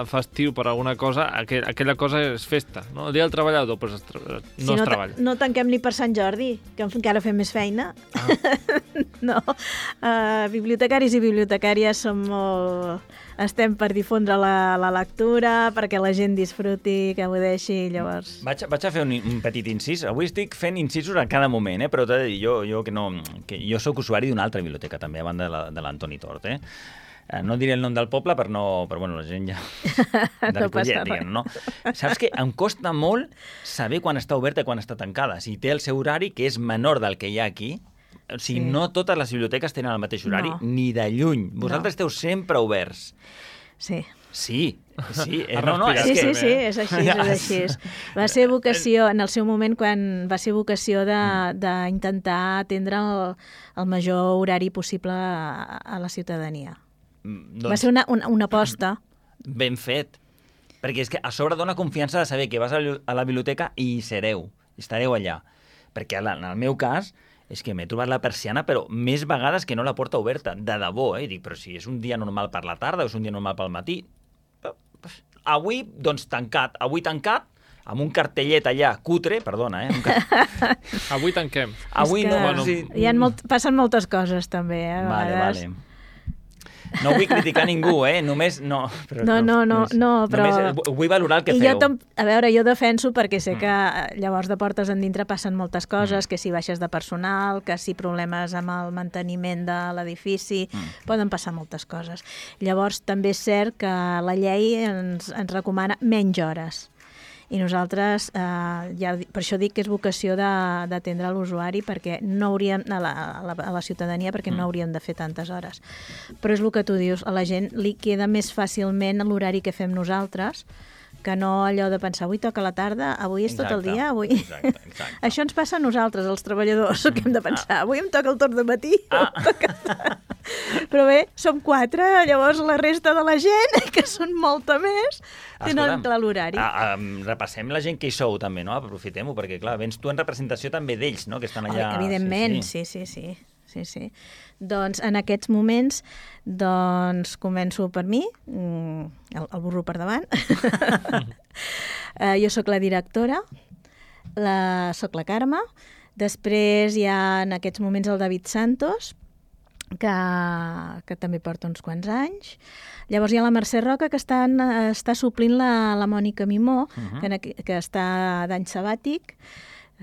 festiu per alguna cosa, aquell, aquella cosa és festa, no? El dia del treballador, doncs es tra- no si es no, ta- treballa. no tanquem ni per Sant Jordi, que encara fem més feina. Ah. No. Uh, bibliotecaris i bibliotecàries som molt... Estem per difondre la, la lectura, perquè la gent disfruti, que ho deixi, llavors... Vaig, vaig a fer un, un petit incís. Avui estic fent incisos a cada moment, eh? Però t'he de dir, jo, jo, que no, que jo sóc usuari d'una altra biblioteca, també, a banda de la- de l'Antoni Tort, eh? Eh, No diré el nom del poble, per no, però bueno, la gent ja... De No passa Ripollet, res. diguem, no? Saps que em costa molt saber quan està oberta i quan està tancada. Si té el seu horari, que és menor del que hi ha aquí, o sigui, Sí. no totes les biblioteques tenen el mateix horari, No. ni de lluny. Vosaltres No. esteu sempre oberts. Sí. Sí, sí. Eh, Ha no, no, és Sí, que... sí, sí, és així, és així. Va ser vocació, en el seu moment, quan va ser vocació de- d'intentar atendre el, el major horari possible a, a la ciutadania. Mm, Va ser una, una, una aposta. Ben fet. Perquè és que a sobre dona confiança de saber que vas a la- a la biblioteca i hi sereu, estareu allà. Perquè en el meu cas és que m'he trobat la persiana, però més vegades que no la porta oberta, de debò, eh? Dic, però si és un dia normal per la tarda o és un dia normal pel matí. Avui, doncs, tancat. Avui tancat, amb un cartellet allà, cutre, perdona, eh? Un car... Avui tanquem. Avui És que no, bueno, sí. Hi ha molt, passen moltes coses, també, eh, a Vale, vegades. vale. No vull criticar ningú, eh? Només... No, però, No, no, no, només- no, però- Només vull valorar el que I feu. jo, tam- a veure, jo defenso perquè sé que eh, llavors de portes endintre passen moltes coses, que si baixes de personal, que si problemes amb el manteniment de l'edifici, poden passar moltes coses. Llavors també és cert que la llei ens, ens recomana menys hores. I nosaltres, eh, ja, per això dic que és vocació de- d'atendre l'usuari, perquè no hauríem, a la, a, la, a la ciutadania, perquè no hauríem de fer tantes hores. Però és el que tu dius, a la gent li queda més fàcilment l'horari que fem nosaltres, que no allò de pensar, avui toca la tarda, avui és tot el Exacte, dia, avui... exacte, exacte. Això ens passa a nosaltres, els treballadors, que hem de pensar, avui em toca el torn de matí. Ah. Però bé, som quatre, llavors la resta de la gent, que són molta més, tenen Escolta'm, clar l'horari. ah, um, repassem la gent que hi sou també, no? Aprofitem-ho, perquè clar, vens tu en representació també d'ells, no? Que estan allà... Oh, evidentment, sí sí. sí, sí, sí, sí. Doncs en aquests moments, doncs començo per mi, mm, el, el burro per davant. uh, jo sóc la directora, la, sóc la Carme, després hi ha en aquests moments el David Santos, que, que també porta uns quants anys. Llavors hi ha la Mercè Roca, que està, en, està suplint la, la Mònica Mimó, uh -huh. que, en, que està d'any sabàtic,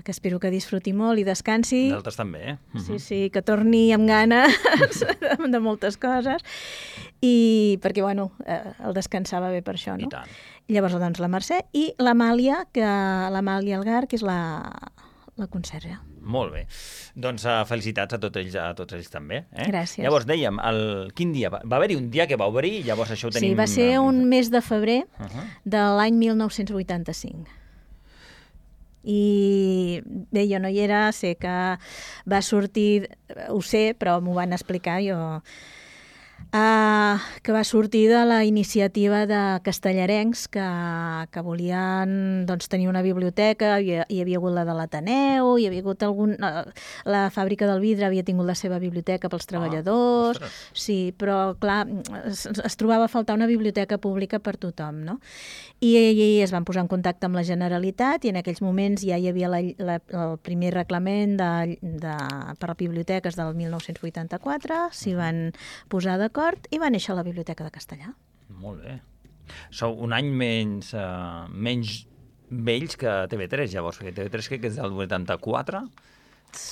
que espero que disfruti molt i descansi. D'altres també, eh? Uh -huh. Sí, sí, que torni amb ganes de moltes coses. I perquè, bueno, eh, el descansava bé per això, no? I tant. I llavors, doncs, la Mercè i l'Amàlia, que l'Amàlia Algar, que és la, la conserge. Molt bé. Doncs uh, felicitats a tots ells, a tots ells també. Eh? Gràcies. Llavors, dèiem, el, quin dia? Va, va haver-hi un dia que va obrir i llavors això ho tenim... Sí, va ser un mes de febrer Uh -huh. de l'any mil nou-cents vuitanta-cinc. I bé, jo no hi era, sé que va sortir, ho sé, però m'ho van explicar, jo... Uh, que va sortir de la iniciativa de castellarencs que, que volien doncs, tenir una biblioteca. Hi, hi havia hagut la de l'Ateneu, hi havia hagut algun... Uh, la fàbrica del vidre havia tingut la seva biblioteca pels treballadors, ah, sí, però clar, es, es trobava a faltar una biblioteca pública per tothom, no? I, i es van posar en contacte amb la Generalitat i en aquells moments ja hi havia la, la, el primer reglament de, de, per a biblioteques del mil nou-cents vuitanta-quatre, s'hi van posar d'acord i va néixer la Biblioteca de Castellar. Molt bé. Sou un any menys, uh, menys vells que T V tres, llavors, perquè T V tres crec que és del vuitanta-quatre,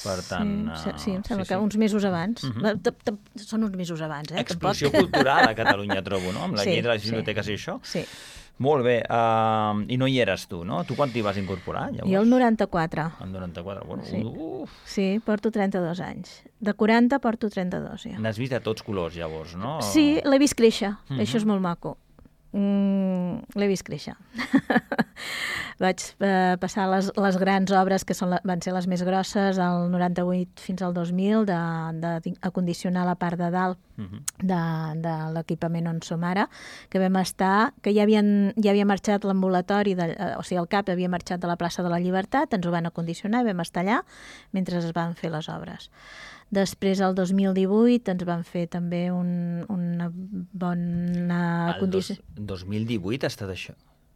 per tant... Sí, sí, em sembla sí, que sí. uns mesos abans. Uh-huh. Són uns mesos abans, eh? Explosió cultural a Catalunya, trobo, no? Amb la sí, llei de les biblioteques sí. i això. Sí. Molt bé. Uh, I no hi eres tu, no? Tu quan t'hi vas incorporar, llavors? Jo el noranta-quatre. El noranta-quatre, bueno. Sí, uf. sí, porto trenta-dos anys. De quaranta porto trenta-dos, ja. N'has vist de tots colors, llavors, no? Sí, l'he vist créixer. Uh-huh. Això és molt maco. Mm, l'he vist créixer. Vaig eh, passar les, les grans obres, que són la, van ser les més grosses, del noranta-vuit fins al dos mil, d'acondicionar la part de dalt uh-huh. de, de l'equipament on som ara, que vam estar, que ja, havien, ja havia marxat l'ambulatori, de, o sigui, el C A P havia marxat de la plaça de la Llibertat, ens ho van acondicionar i vam estar allà mentre es van fer les obres. Després, el dos mil divuit, ens van fer també un, una bona condició. El dos mil divuit ha estat això?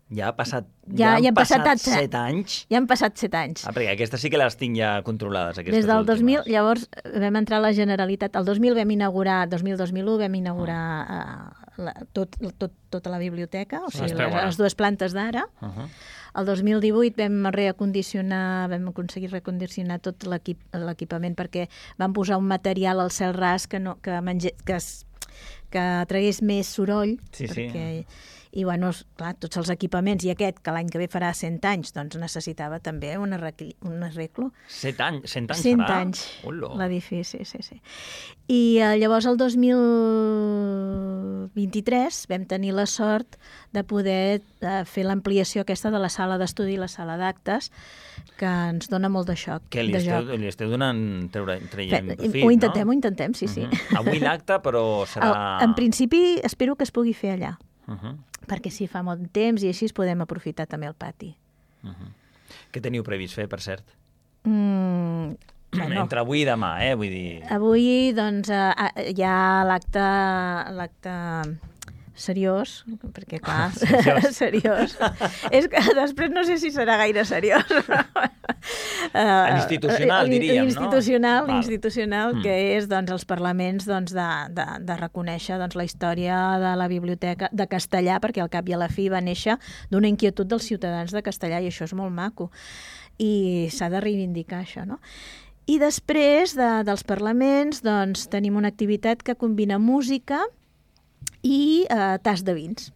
Ja ha passat, ja, ja han ja passat, passat set anys? Ja han passat set anys. Ah, perquè aquestes sí que les tinc ja controlades, aquestes Des del últimes. dos mil, llavors vam entrar a la Generalitat. El dos mil vam inaugurar, dos mil dos mil u vam inaugurar uh, la, tot, tot, tota la biblioteca, o sigui, les, les dues plantes d'ara. Uh-huh. El dos mil divuit vam reacondicionar, vam aconseguir reacondicionar tot l'equip, l'equipament perquè vam posar un material al cel ras que, no, que, mange, que, es, que tragués més soroll. Sí, perquè, sí. I, bueno, clar, tots els equipaments, i aquest, que l'any que ve farà cent anys, doncs necessitava també un, arregl, un arreglo. Set anys? Cent anys cent farà? anys, Hola. L'edifici, sí, sí. I eh, llavors el dos mil vint-i-tres vam tenir la sort de poder eh, fer l'ampliació aquesta de la sala d'estudi i la sala d'actes, que ens dona molt de xoc. Que li, de esteu, joc. li esteu donant, treure, traient profit, ho intentem, no? ho intentem, sí, sí. Uh-huh. Avui l'acte, però serà... El, en principi, espero que es pugui fer allà. Uh-huh. Perquè si fa molt temps i així podem aprofitar també el pati. Uh-huh. Què teniu previst fer, per cert? Mm, bueno, Entre avui i demà, eh? Vull dir... Avui, doncs, eh, hi ha l'acte l'acte seriós, perquè, clar, seriós. seriós. És que després no sé si serà gaire seriós. uh, institucional, diríem, institucional, no? Institucional, mm. que és doncs, els parlaments doncs, de, de, de reconèixer doncs, la història de la biblioteca de castellà, perquè al cap i a la fi va néixer d'una inquietud dels ciutadans de castellà, i això és molt maco. I s'ha de reivindicar això, no? I després de, dels parlaments doncs, tenim una activitat que combina música i eh, tas de vins.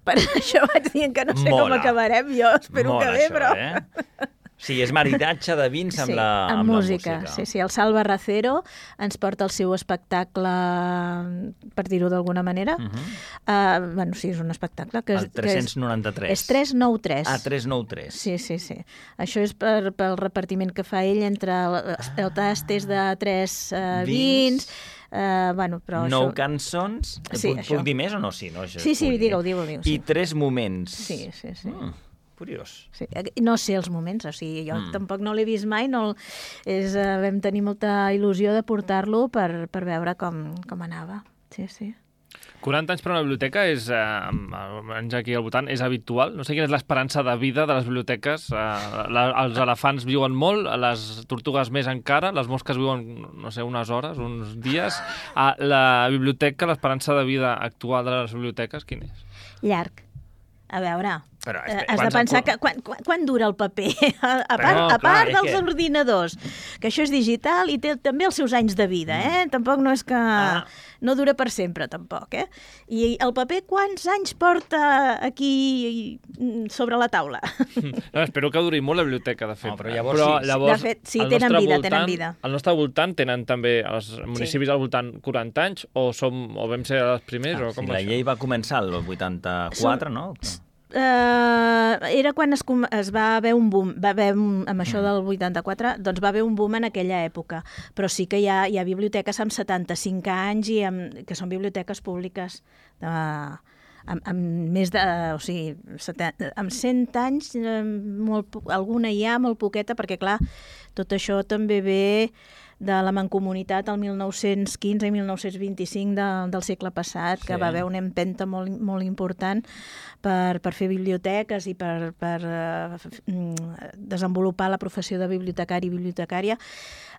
Per això vaig dient que no sé Mola. com acabarem, jo espero Mola que bé, això, però... Eh? Sí, és maridatge de vins amb, sí, la, amb, amb música, la música. Sí, sí, el Salva Racero ens porta el seu espectacle, per dir-ho d'alguna manera. Uh-huh. uh, bueno, sí, és un espectacle que és... El tres-cents noranta-tres. Que és, és tres nou tres. Ah, tres nou tres. Sí, sí, sí. Això és per, pel repartiment que fa ell entre el, el tast és de tres uh, vins... vins Uh, bueno, però nou això... cançons. Sí, puc, això. puc dir més o no? Sí, no, això sí, sí, digue-ho, digue-ho. Digue I sí. tres moments. Sí, sí, sí. Mm, curiós. Sí. No sé els moments, o sigui, jo mm. tampoc no l'he vist mai, no és, uh, vam tenir molta il·lusió de portar-lo per, per veure com, com anava. Sí, sí. quaranta anys per una biblioteca és, eh, almenys aquí al voltant, és habitual. No sé quina és l'esperança de vida de les biblioteques. Eh, la, els elefants viuen molt, les tortugues més encara, les mosques viuen, no sé, unes hores, uns dies. Eh, la biblioteca, l'esperança de vida actual de les biblioteques, quin és? Llarg. A veure, Però, eh, has de pensar que quan, quan, quan dura el paper? A, a part, no, a part clar, dels que... ordinadors, que això és digital i té també els seus anys de vida, eh? Mm. Tampoc no és que... Ah. No dura per sempre, tampoc, eh? I el paper quants anys porta aquí sobre la taula? No, espero que duri molt la biblioteca, de fet. No, però llavors, però, sí. llavors de fet, sí, tenen vida, voltant, tenen vida. Al nostre voltant tenen també, els municipis sí. al voltant, quaranta anys, o, som, o vam ser els primers? Ah, o com sí, va la això? llei va començar el vuitanta-quatre, som... no? Uh, era quan es, es va haver un boom, va haver un, amb això del vuitanta-quatre, doncs va haver un boom en aquella època, però sí que hi ha, hi ha biblioteques amb setanta-cinc anys i amb, que són biblioteques públiques de, amb, amb més de, o sigui, setanta, amb cent anys, molt, alguna hi ha, molt poqueta, perquè clar, tot això també ve de la Mancomunitat al mil nou-cents quinze i mil nou-cents vint-i-cinc de, del segle passat, que sí. va haver una empenta molt, molt important per, per fer biblioteques i per, per uh, desenvolupar la professió de bibliotecari i bibliotecària.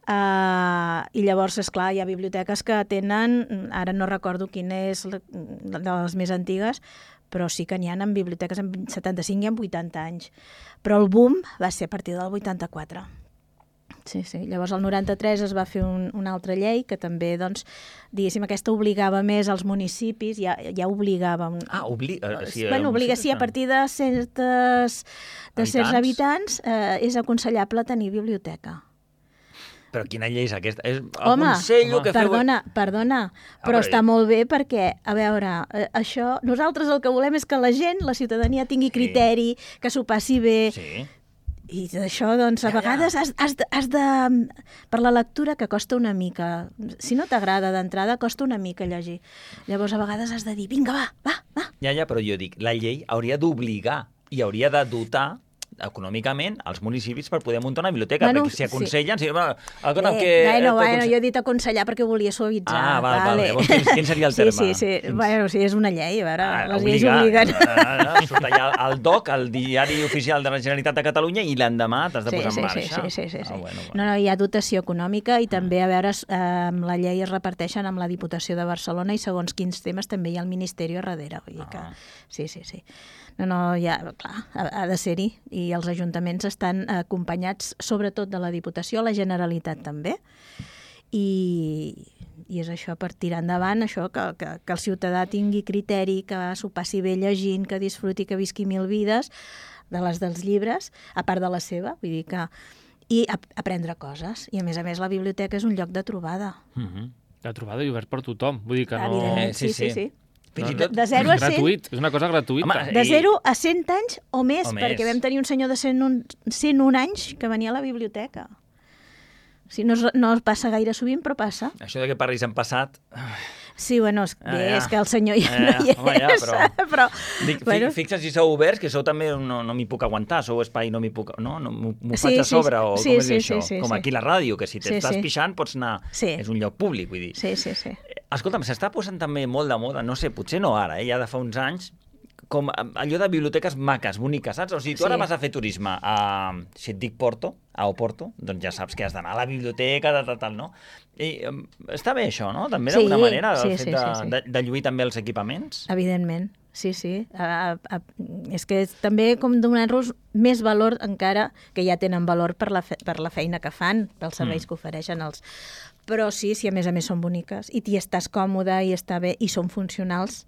Uh, I llavors, esclar, hi ha biblioteques que tenen, ara no recordo quina és la, de les més antigues, però sí que n'hi ha en biblioteques amb setanta-cinc i amb vuitanta anys. Però el boom va ser a partir del vuitanta-quatre. Sí, sí. Llavors, el noranta-tres es va fer un, una altra llei que també, doncs, diguéssim, aquesta obligava més als municipis, ja, ja obligava... Un... Ah, obliga... Sí, bueno, obliga, sí, a partir de certes, de certs habitants eh, és aconsellable tenir biblioteca. Però quina llei és aquesta? És home, home, que perdona, feu... perdona, però ah, està molt bé perquè, a veure, eh, això, nosaltres el que volem és que la gent, la ciutadania, tingui sí. criteri, que s'ho passi bé... Sí. I d'això, doncs, a ja, vegades has, has, de, has de... Per la lectura, que costa una mica. Si no t'agrada d'entrada, costa una mica llegir. Llavors, a vegades has de dir, vinga, va, va, va. Ja, ja, però jo dic, la llei hauria d'obligar i hauria de dotar econòmicament als municipis per poder muntar una biblioteca, bueno, perquè si aconsellen... Sí. Si, bueno, el, eh, que, bueno, bueno, jo he dit aconsellar perquè volia suavitzar. Ah, val, vale. Vale. Quin, quin seria el terme? Sí, sí, sí. Quins... Bueno, sí, és una llei, a veure, ah, les obligar, lleis obliguen. Ah, ah, surt allà el D O C, el Diari Oficial de la Generalitat de Catalunya, i l'endemà t'has de sí, posar sí, en marxa. Sí, sí, sí. sí. Ah, bueno, bueno. No, no, hi ha dotació econòmica i també, a veure, amb la llei es reparteixen amb la Diputació de Barcelona i segons quins temes també hi ha el Ministeri a darrere. Vull dir que... Ah. Sí, sí, sí. No, no, ja, clar, ha, ha de ser-hi. I els ajuntaments estan acompanyats, sobretot de la Diputació, la Generalitat també. I, i és això, per tirar endavant, això, que, que, que el ciutadà tingui criteri, que s'ho passi bé llegint, que disfruti, que visqui mil vides, de les dels llibres, a part de la seva, vull dir que... I ap aprendre coses. I, a més a més, la biblioteca és un lloc de trobada. Mm-hmm. De trobada i obert per tothom. Vull dir que no... Evidentment, sí, sí, sí. sí. Fins i tot... tot... De zero a cent... Gratuït, és una cosa gratuïta. Home, de zero a cent anys o més, o perquè més. vam tenir un senyor de cent un anys que venia a la biblioteca. O sigui, no, es, no passa gaire sovint, però passa. Això de que parlis en passat... Sí, bueno, és, ah, ja. és que el senyor ja, ja no hi és. Home, ja, però... però Dic, bueno. Fixa't si sou oberts, que sou també no, no m'hi puc aguantar, sou espai, no m'hi puc... No, no m'ho sí, faig a sobre, sí, o sí, com és sí, això? sí, sí, com sí. aquí a la ràdio, que si t'estàs sí, sí. pixant pots anar... Sí. És un lloc públic, vull dir. Sí, sí, sí. Escolta'm, s'està posant també molt de moda, no sé, potser no ara, eh, ja de fa uns anys, com allò de biblioteques maques, boniques, saps? O sigui, tu sí. ara vas a fer turisme a, si et dic Porto, a Oporto, doncs ja saps que has d'anar a la biblioteca, tal, tal, tal, no? I um, està bé això, no? També d'alguna sí, manera, el sí, fet sí, de, sí, sí. de, de lluir també els equipaments. Evidentment, sí, sí. A, a, és que és també com donar-los més valor encara, que ja tenen valor per la, fe, per la feina que fan, pels serveis mm. que ofereixen els... Però sí, si a més a més són boniques i t'hi estàs còmode i està bé i són funcionals,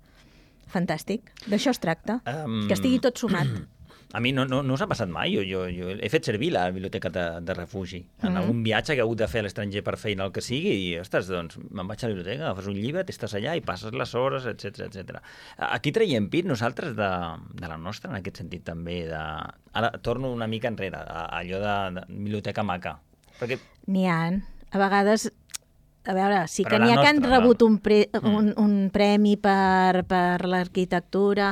fantàstic. D'això es tracta, um, que estigui tot sumat. A mi no, no, no us ha passat mai. Jo, jo, jo he fet servir la biblioteca de, de refugi. En Mm. algun viatge que he hagut de fer a l'estranger per feina, el que sigui, i, ostres, doncs, me'n vaig a la biblioteca, agafes un llibre, t'estàs allà i passes les hores, etcètera, etcètera. Aquí traiem pit nosaltres de, de la nostra, en aquest sentit també. De... Ara torno una mica enrere, a, a allò de, de biblioteca maca. Perquè... N'hi ha. A vegades... A veure, sí Però que n'hi ha que han nostra, rebut no? un, pre, un, un premi per, per l'arquitectura.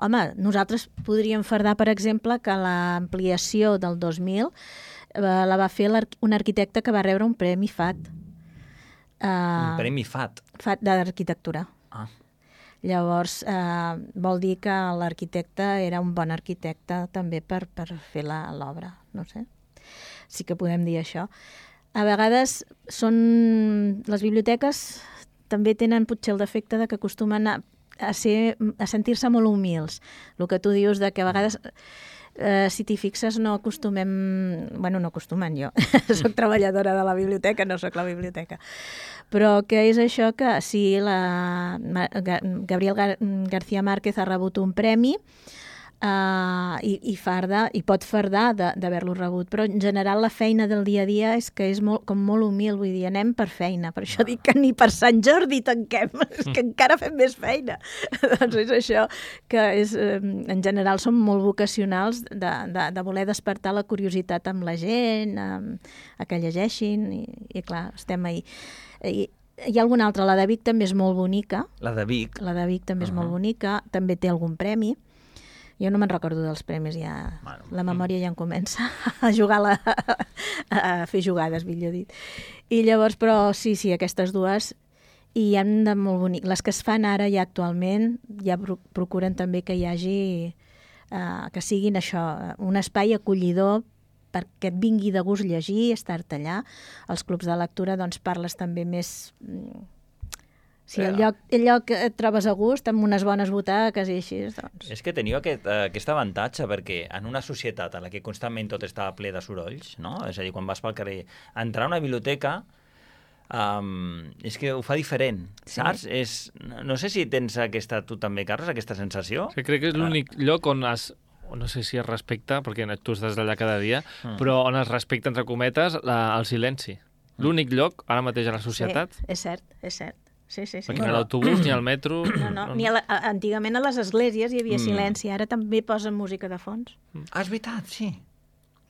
Home, nosaltres podríem fardar, per exemple, que l'ampliació del dos mil eh, la va fer un arquitecte que va rebre un premi F A T. Uh, un premi F A T? F A T d'arquitectura. Ah. Llavors, eh, vol dir que l'arquitecte era un bon arquitecte també per, per fer l'obra, no sé. Sí que podem dir això. A vegades són... Les biblioteques també tenen potser el defecte de que acostumen a, a, ser, a sentir-se molt humils. El que tu dius de que a vegades, eh, si t'hi fixes, no acostumem... Bueno, no acostumen jo. Soc treballadora de la biblioteca, no soc la biblioteca. Però que és això que sí, la Gabriel Gar García Márquez ha rebut un premi Uh, i, i farda, i pot fardar d'haver-lo rebut, però en general la feina del dia a dia és que és molt, com molt humil, vull dir, anem per feina, per això dic que ni per Sant Jordi tanquem, és que encara fem més feina. Doncs és això, que és, en general som molt vocacionals de, de, de voler despertar la curiositat amb la gent, a, a que llegeixin, i, i clar, estem ahí. I, hi ha alguna altra, la de Vic també és molt bonica. La de Vic? La de Vic també és uh-huh. molt bonica, també té algun premi. Jo no me'n recordo dels premis, ja bueno. La memòria ja em comença a jugar, la, a fer jugades, millor dit. I llavors, però sí, sí, aquestes dues, i hi ha de molt bonic. Les que es fan ara ja actualment, ja procuren també que hi hagi, uh, que siguin això, un espai acollidor perquè et vingui de gust llegir, estar-te allà. Als clubs de lectura doncs parles també més... Si el lloc, el lloc et trobes a gust, amb unes bones butaques i així, doncs... És que teniu aquest, aquest avantatge, perquè en una societat en la que constantment tot està ple de sorolls, no? És a dir, quan vas pel carrer, entrar a una biblioteca um, és que ho fa diferent, sí. Saps? És, no sé si tens aquesta, tu també, Carles, aquesta sensació. Sí, crec que és l'únic lloc on es... no sé si es respecta, perquè tu estàs allà cada dia, mm. però on es respecta, entre cometes, la, el silenci. L'únic lloc, ara mateix a la societat... Sí, és cert, és cert. Sí, sí, sí. Perquè ni a l'autobús, ni al metro... No, no, ni a la, a, antigament a les esglésies hi havia mm. silenci, ara també posen música de fons. Ah, és veritat, sí.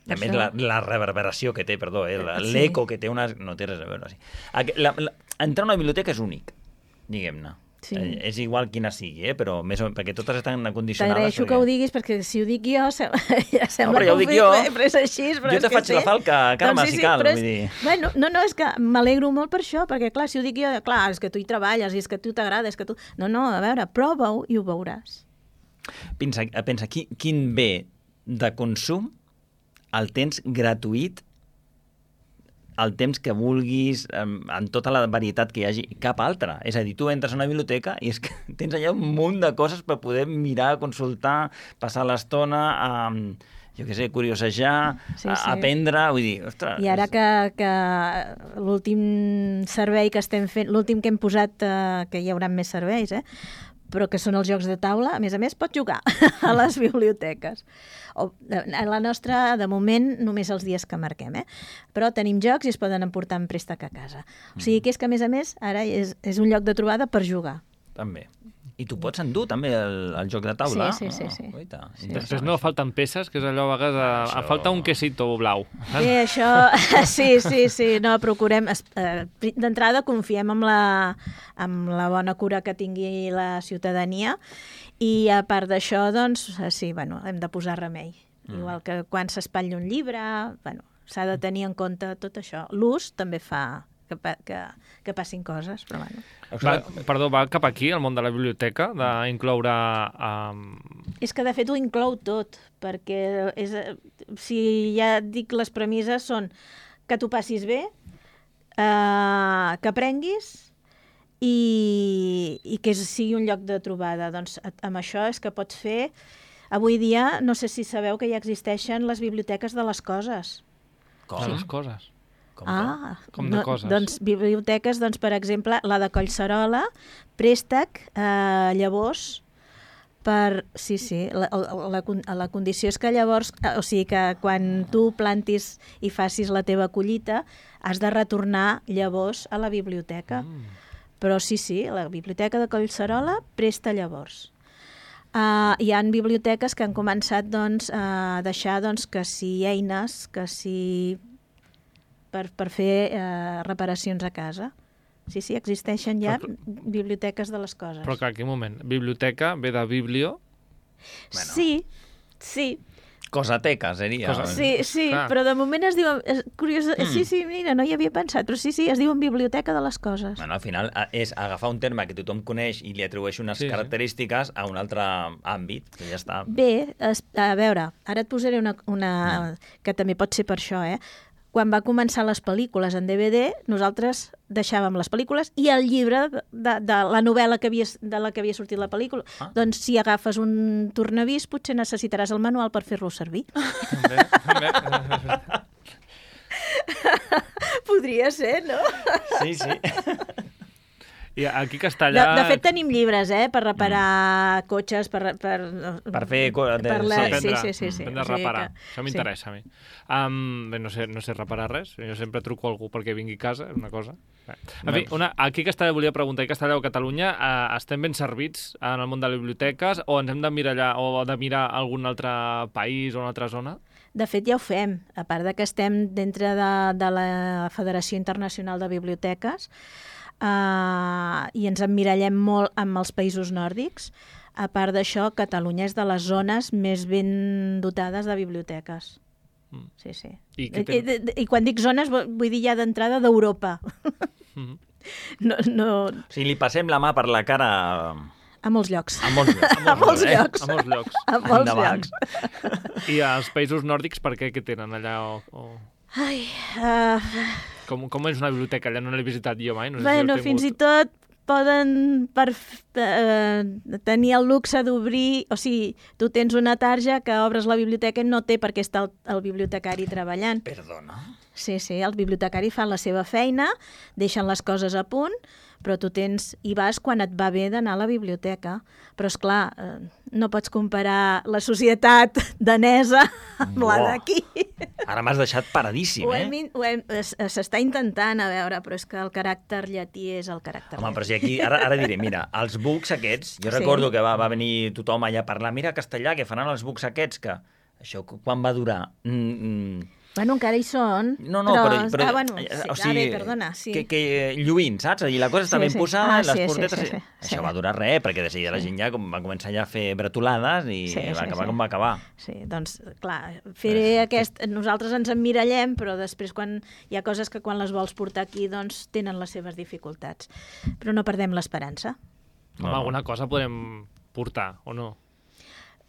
A més, la, la reverberació que té, perdó, eh, l'eco sí. que té una... No té res a veure. Sí. La, la, entrar a una biblioteca és únic, diguem-ne. Sí. Eh, és igual quina sigui, eh? Però més o menys, perquè totes estan condicionades. T'agraeixo perquè... que ho diguis, perquè si ho dic jo, se... ja sembla no, ja que ho dic jo. Però és així. Però jo és te faig sí. la falca, Carme, doncs sí, sí, si cal. És... Vull dir... Bueno, no, no, és que m'alegro molt per això, perquè clar, si ho dic jo, clar, és que tu hi treballes, i és que tu t'agrada, és que tu... No, no, a veure, prova-ho i ho veuràs. Pensa, pensa quin, quin bé de consum el tens gratuït el temps que vulguis, en tota la varietat que hi hagi, cap altra. És a dir, tu entres a una biblioteca i és que tens allà un munt de coses per poder mirar, consultar, passar l'estona, a, jo què sé, curiosejar, sí, sí. aprendre, vull dir, ostres... I ara que, que l'últim servei que estem fent, l'últim que hem posat, eh, que hi haurà més serveis, eh? però que són els jocs de taula, a més a més, pots jugar a les biblioteques. O, a la nostra, de moment, només els dies que marquem, eh? Però tenim jocs i es poden emportar en préstec a casa. O sigui que és que, a més a més, ara és, és un lloc de trobada per jugar. També. I tu pots endur també el, el joc de taula. Sí, sí, sí. sí. Oita, sí. Després no falten peces, que és allò a vegades... A, això... falta un quesito blau. Sí, això... Sí, sí, sí. No, procurem... D'entrada confiem en la, en la bona cura que tingui la ciutadania i a part d'això, doncs, sí, bueno, hem de posar remei. Mm. Igual que quan s'espatlla un llibre, bueno, s'ha de tenir en compte tot això. L'ús també fa... Que, que, que passin coses, però bueno. Va, perdó, va cap aquí, el món de la biblioteca, d'incloure... Um... És que, de fet, ho inclou tot, perquè és, si ja et dic les premisses són que t'ho passis bé, eh, que aprenguis i, i que sigui un lloc de trobada. Doncs amb això és que pots fer... Avui dia, no sé si sabeu que ja existeixen les biblioteques de les coses. Com? De les coses? Com, ah, com de no, coses. Doncs biblioteques, doncs, per exemple, la de Collserola, préstec, eh, llavors, per... Sí, sí, la, la, la condició és que llavors, o sigui que quan tu plantis i facis la teva collita, has de retornar llavors a la biblioteca. Mm. Però sí, sí, la biblioteca de Collserola presta llavors. Uh, hi ha biblioteques que han començat doncs, a deixar doncs, que si eines, que si... per, per fer eh, reparacions a casa. Sí, sí, existeixen ja però, biblioteques de les coses. Però clar, aquí un moment. Biblioteca ve de biblio? Bueno. Sí, sí. Cosateca seria. Cosa... Sí, sí, clar. Però de moment es diuen... És curiós, mm. Sí, sí, mira, no hi havia pensat, però sí, sí, es diuen biblioteca de les coses. Bueno, al final és agafar un terme que tothom coneix i li atribueix unes sí, característiques sí. a un altre àmbit, que ja està. Bé, es, a veure, ara et posaré una... una mm. que també pot ser per això, eh? Quan va començar les pel·lícules en D V D, nosaltres deixàvem les pel·lícules i el llibre de, de, de la novel·la que havia, de la que havia sortit la pel·lícula. Ah. Doncs si agafes un tornavís, potser necessitaràs el manual per fer-lo servir. Bé, bé. Podria ser, no? Sí, sí. I aquí a Castellà... De, de fet, tenim llibres, eh?, per reparar mm. cotxes, per... Per, per fer... De... Per la... sí. sí, sí, sí, sí. Hem de reparar. Que... Això m'interessa, sí. a mi. Um, bé, no sé, no sé reparar res. Jo sempre truco a algú perquè vingui a casa, és una cosa. Bé. En fi, una, aquí a Castellà volia preguntar, a Castellà o Catalunya, uh, estem ben servits en el món de les biblioteques o ens hem de mirar allà, o de mirar algun altre país o una altra zona? De fet, ja ho fem. A part de que estem dintre de, de la Federació Internacional de Biblioteques uh, i ens emmirallem molt amb els països nòrdics, a part d'això, Catalunya és de les zones més ben dotades de biblioteques. Mm. Sí, sí. I, I, i, I quan dic zones, vull dir ja d'entrada d'Europa. Mm-hmm. no, no... O sigui, li passem la mà per la cara... A molts llocs. A molts llocs. A molts llocs. A molts llocs. A molts llocs. I als països nòrdics, per què? Què tenen allà? O, o... Ai... Uh... Com, com és una biblioteca? Allà no l'he visitat jo mai. No sé bueno, si fins i tot poden per, uh, tenir el luxe d'obrir... O sigui, tu tens una tarja que obres la biblioteca i no té perquè està el, el bibliotecari treballant. Perdona? Sí, sí, el bibliotecari fa la seva feina, deixen les coses a punt, però tu tens i vas quan et va bé d'anar a la biblioteca. Però, és clar, eh, no pots comparar la societat danesa amb la d'aquí. Ara m'has deixat paradíssim, ho eh? hem, ho hem, s'està intentant, a veure, però és que el caràcter llatí és el caràcter Home, llatí. però si aquí, ara, ara diré, mira, els books aquests, jo recordo sí. que va, va venir tothom allà a parlar, mira, Castellà, que faran els books aquests, que això quan va durar... Mm, mm, Bueno, encara hi són, no, no, però... però, però ah, bueno, sí, o sigui, ah, bé, perdona, sí. Que, que lluint, saps? I la cosa està sí, ben sí. posada, ah, les sí, portetes... Sí, sí, sí, Això sí. va durar res, perquè de seguida sí. la gent ja va començar ja a fer bretolades i sí, va sí, acabar sí. com va acabar. Sí, doncs, clar, faré aquest... Nosaltres ens emmirallem, però després quan hi ha coses que quan les vols portar aquí, doncs tenen les seves dificultats. Però no perdem l'esperança. Home, no. alguna cosa podem portar, o no?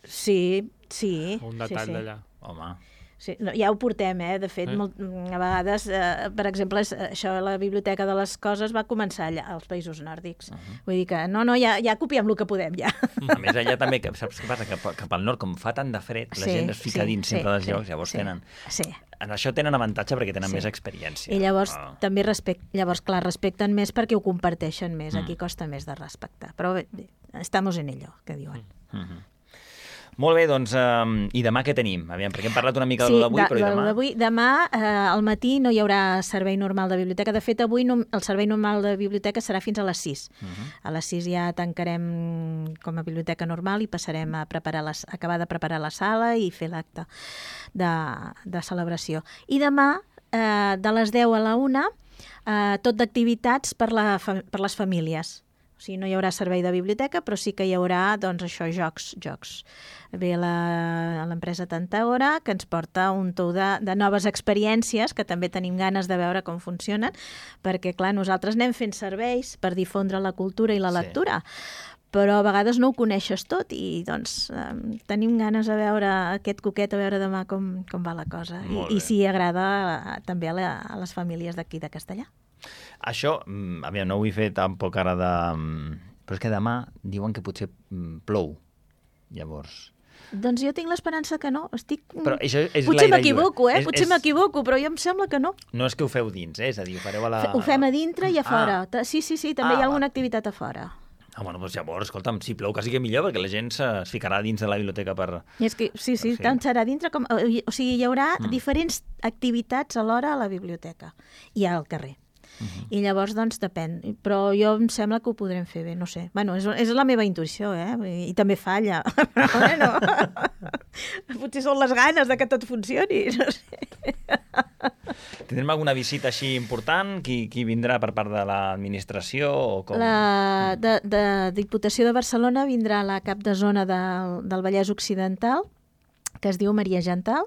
Sí, sí. Un detall sí, sí. d'allà. Home... Sí, no, ja ho portem, eh? De fet, eh? Molt, a vegades, eh, per exemple, això, la Biblioteca de les Coses va començar allà, als països nòrdics. Uh -huh. Vull dir que, no, no, ja, ja copiem el que podem, ja. A més, allà també, saps què passa? Cap, cap al nord, com fa tant de fred, la sí, gent es fica sí, dins sí, sempre dels sí, llocs, llavors sí, tenen... Sí. En això tenen avantatge perquè tenen sí. més experiència. I llavors, oh. també respect... llavors, clar, respecten més perquè ho comparteixen més. Mm. Aquí costa més de respectar. Però bé, bé estamos en ello, que diuen. Mm -hmm. Molt bé, doncs, um, i demà què tenim? Aviam, perquè hem parlat una mica sí, de l'avui, però i demà? D'avui, demà, eh, al matí, no hi haurà servei normal de biblioteca. De fet, avui no, el servei normal de biblioteca serà fins a les sis. Uh -huh. A les sis ja tancarem com a biblioteca normal i passarem a preparar les, acabar de preparar la sala i fer l'acte de, de celebració. I demà, eh, de les deu a la una, eh, tot d'activitats per, la, per les famílies. O sigui, no hi haurà servei de biblioteca, però sí que hi haurà, doncs, això, jocs, jocs. Ve l'empresa Tantaora, que ens porta un tou de, de noves experiències, que també tenim ganes de veure com funcionen, perquè, clar, nosaltres anem fent serveis per difondre la cultura i la lectura, sí. però a vegades no ho coneixes tot i, doncs, eh, tenim ganes de veure aquest coquet, a veure demà com, com va la cosa. I, i si agrada també a, la, a les famílies d'aquí de Castellà. Això, aviam, no ho vull fer tampoc ara de... Però és que demà diuen que potser plou, llavors... Doncs jo tinc l'esperança que no. Estic... Però això és Potser m'equivoco, eh? És, Potser és... m'equivoco, però jo em sembla que no. No és que ho feu dins, eh? És a dir, ho fareu a la... Ho fem a dintre i a fora. Ah. Sí, sí, sí, també ah, hi ha alguna va. activitat a fora. Ah, bueno, doncs llavors, escolta'm, si plou quasi que millor, perquè la gent es ficarà dins de la biblioteca per... I és que, sí, sí, tant serà dintre com... O sigui, hi haurà mm. diferents activitats alhora a la biblioteca i al carrer. Uh-huh. I llavors, doncs, depèn. Però jo em sembla que ho podrem fer bé, no sé. Bueno, és, és la meva intuïció, eh? I, i també falla. Però, bueno, potser són les ganes de que tot funcioni, no sé. Tindrem alguna visita així important? Qui, qui vindrà per part de l'administració? O com? La de, de Diputació de Barcelona vindrà la cap de zona del, del Vallès Occidental, que es diu Maria Gental,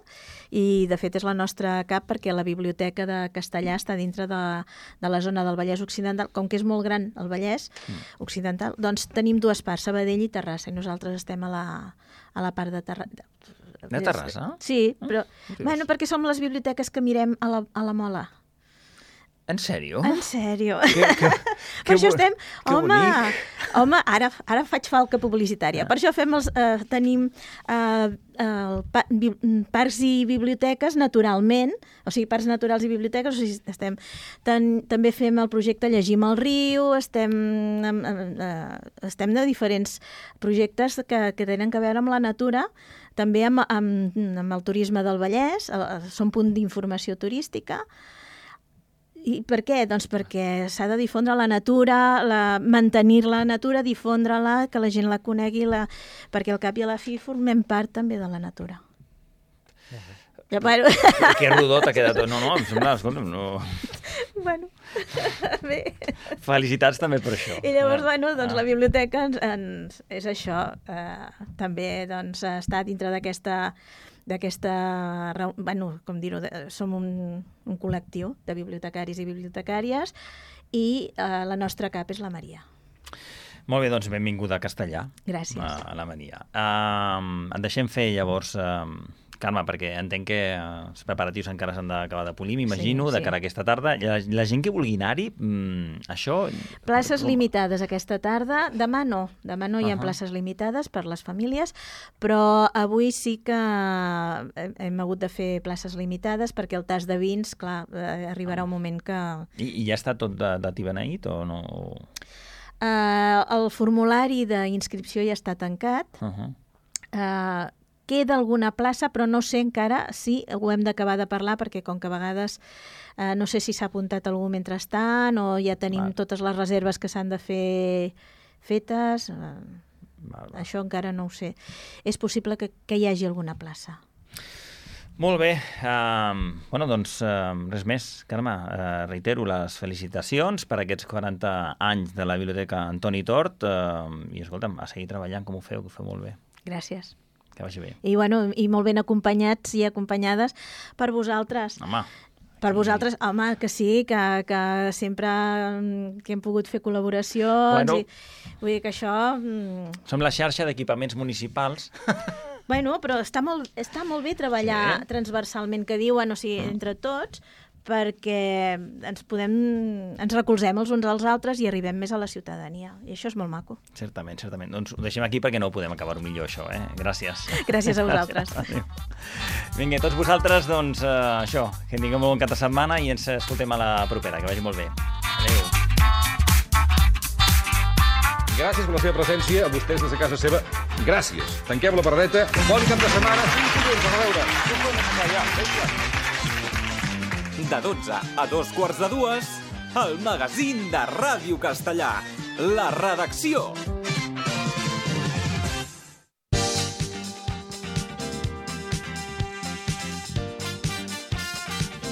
i de fet és la nostra cap perquè la biblioteca de Castellà està dintre de, de la zona del Vallès Occidental. Com que és molt gran el Vallès mm. Occidental, doncs tenim dues parts, Sabadell i Terrassa, i nosaltres estem a la, a la part de Terrassa. De Terrassa? Sí, però... Ah, bueno, perquè som les biblioteques que mirem a la, a la Mola. En sèrio? En sèrio. Que, que, per això estem... que Home, bonic. home ara, ara faig falca publicitària. Per això fem els, eh, tenim eh, el, pa, bi, parcs i biblioteques naturalment, o sigui, parcs naturals i biblioteques, o sigui, estem, ten, també fem el projecte Llegim al riu, estem, eh, estem de diferents projectes que, que tenen a veure amb la natura, també amb, amb, amb el turisme del Vallès, som punt d'informació turística. I per què? Doncs perquè s'ha de difondre la natura, la, mantenir la natura, difondre-la, que la gent la conegui, la, perquè al cap i a la fi formem part també de la natura. Ja, bueno. Que rodó t'ha quedat. No, no, em sembla, escolta'm, no... Bueno, bé. Felicitats també per això. I llavors, bueno, doncs ah. la biblioteca ens, ens, és això. Eh, també doncs, està dintre d'aquesta... d'aquesta, bueno, com dir-ho, som un, un col·lectiu de bibliotecaris i bibliotecàries i eh, la nostra cap és la Maria. Molt bé, doncs benvinguda a Castellà. Gràcies. A, a la Maria. Uh, en deixem fer llavors... Uh, Carme, perquè entenc que els preparatius encara s'han d'acabar de polir, m'imagino, sí, sí. de cara a aquesta tarda. La, la gent que vulgui anar-hi, mmm, això... Places limitades aquesta tarda. Demà no. Demà no hi ha uh-huh. places limitades per les famílies, però avui sí que hem hagut de fer places limitades perquè el tas de vins, clar, arribarà un moment que... I, i ja està tot de, de tibeneït o no? Uh, el formulari d'inscripció ja està tancat. Uh-huh. Uh, Queda alguna plaça, però no sé encara si ho hem d'acabar de parlar, perquè com que a vegades eh, no sé si s'ha apuntat algú mentrestant o ja tenim val. Totes les reserves que s'han de fer fetes. Eh, val, val. Això encara no ho sé. És possible que, que hi hagi alguna plaça. Molt bé. Uh, bueno, doncs, uh, res més. Carme, uh, reitero les felicitacions per aquests quaranta anys de la Biblioteca Antoni Tort uh, i, escolta'm, a seguir treballant com ho feu, que ho feu molt bé. Gràcies. Que vagi bé. I, bueno, i molt ben acompanyats i acompanyades per vosaltres. Home. Per vosaltres, home, que sí, que, que sempre que hem pogut fer col·laboracions. Bueno. I, vull dir que això... Som la xarxa d'equipaments municipals. Bueno, però està molt, està molt bé treballar sí. transversalment, que diuen, o sigui, mm. entre tots, perquè ens podem, ens recolzem els uns als altres i arribem més a la ciutadania. I això és molt maco. Certament, certament. Doncs ho deixem aquí perquè no ho podem acabar millor, això, eh? Gràcies. Gràcies a vosaltres. Vinga, tots vosaltres, doncs, eh, això, que tinguem un bon cap de setmana i ens escoltem a la propera. Que vagi molt bé. Adéu. Gràcies per la seva presència, a vostès des de casa seva. Gràcies. Tanquem la paradeta. Bon cap de setmana. Fins dilluns, a veure. De dotze a dos quarts de dues, el magazín de Ràdio Castellà. La redacció.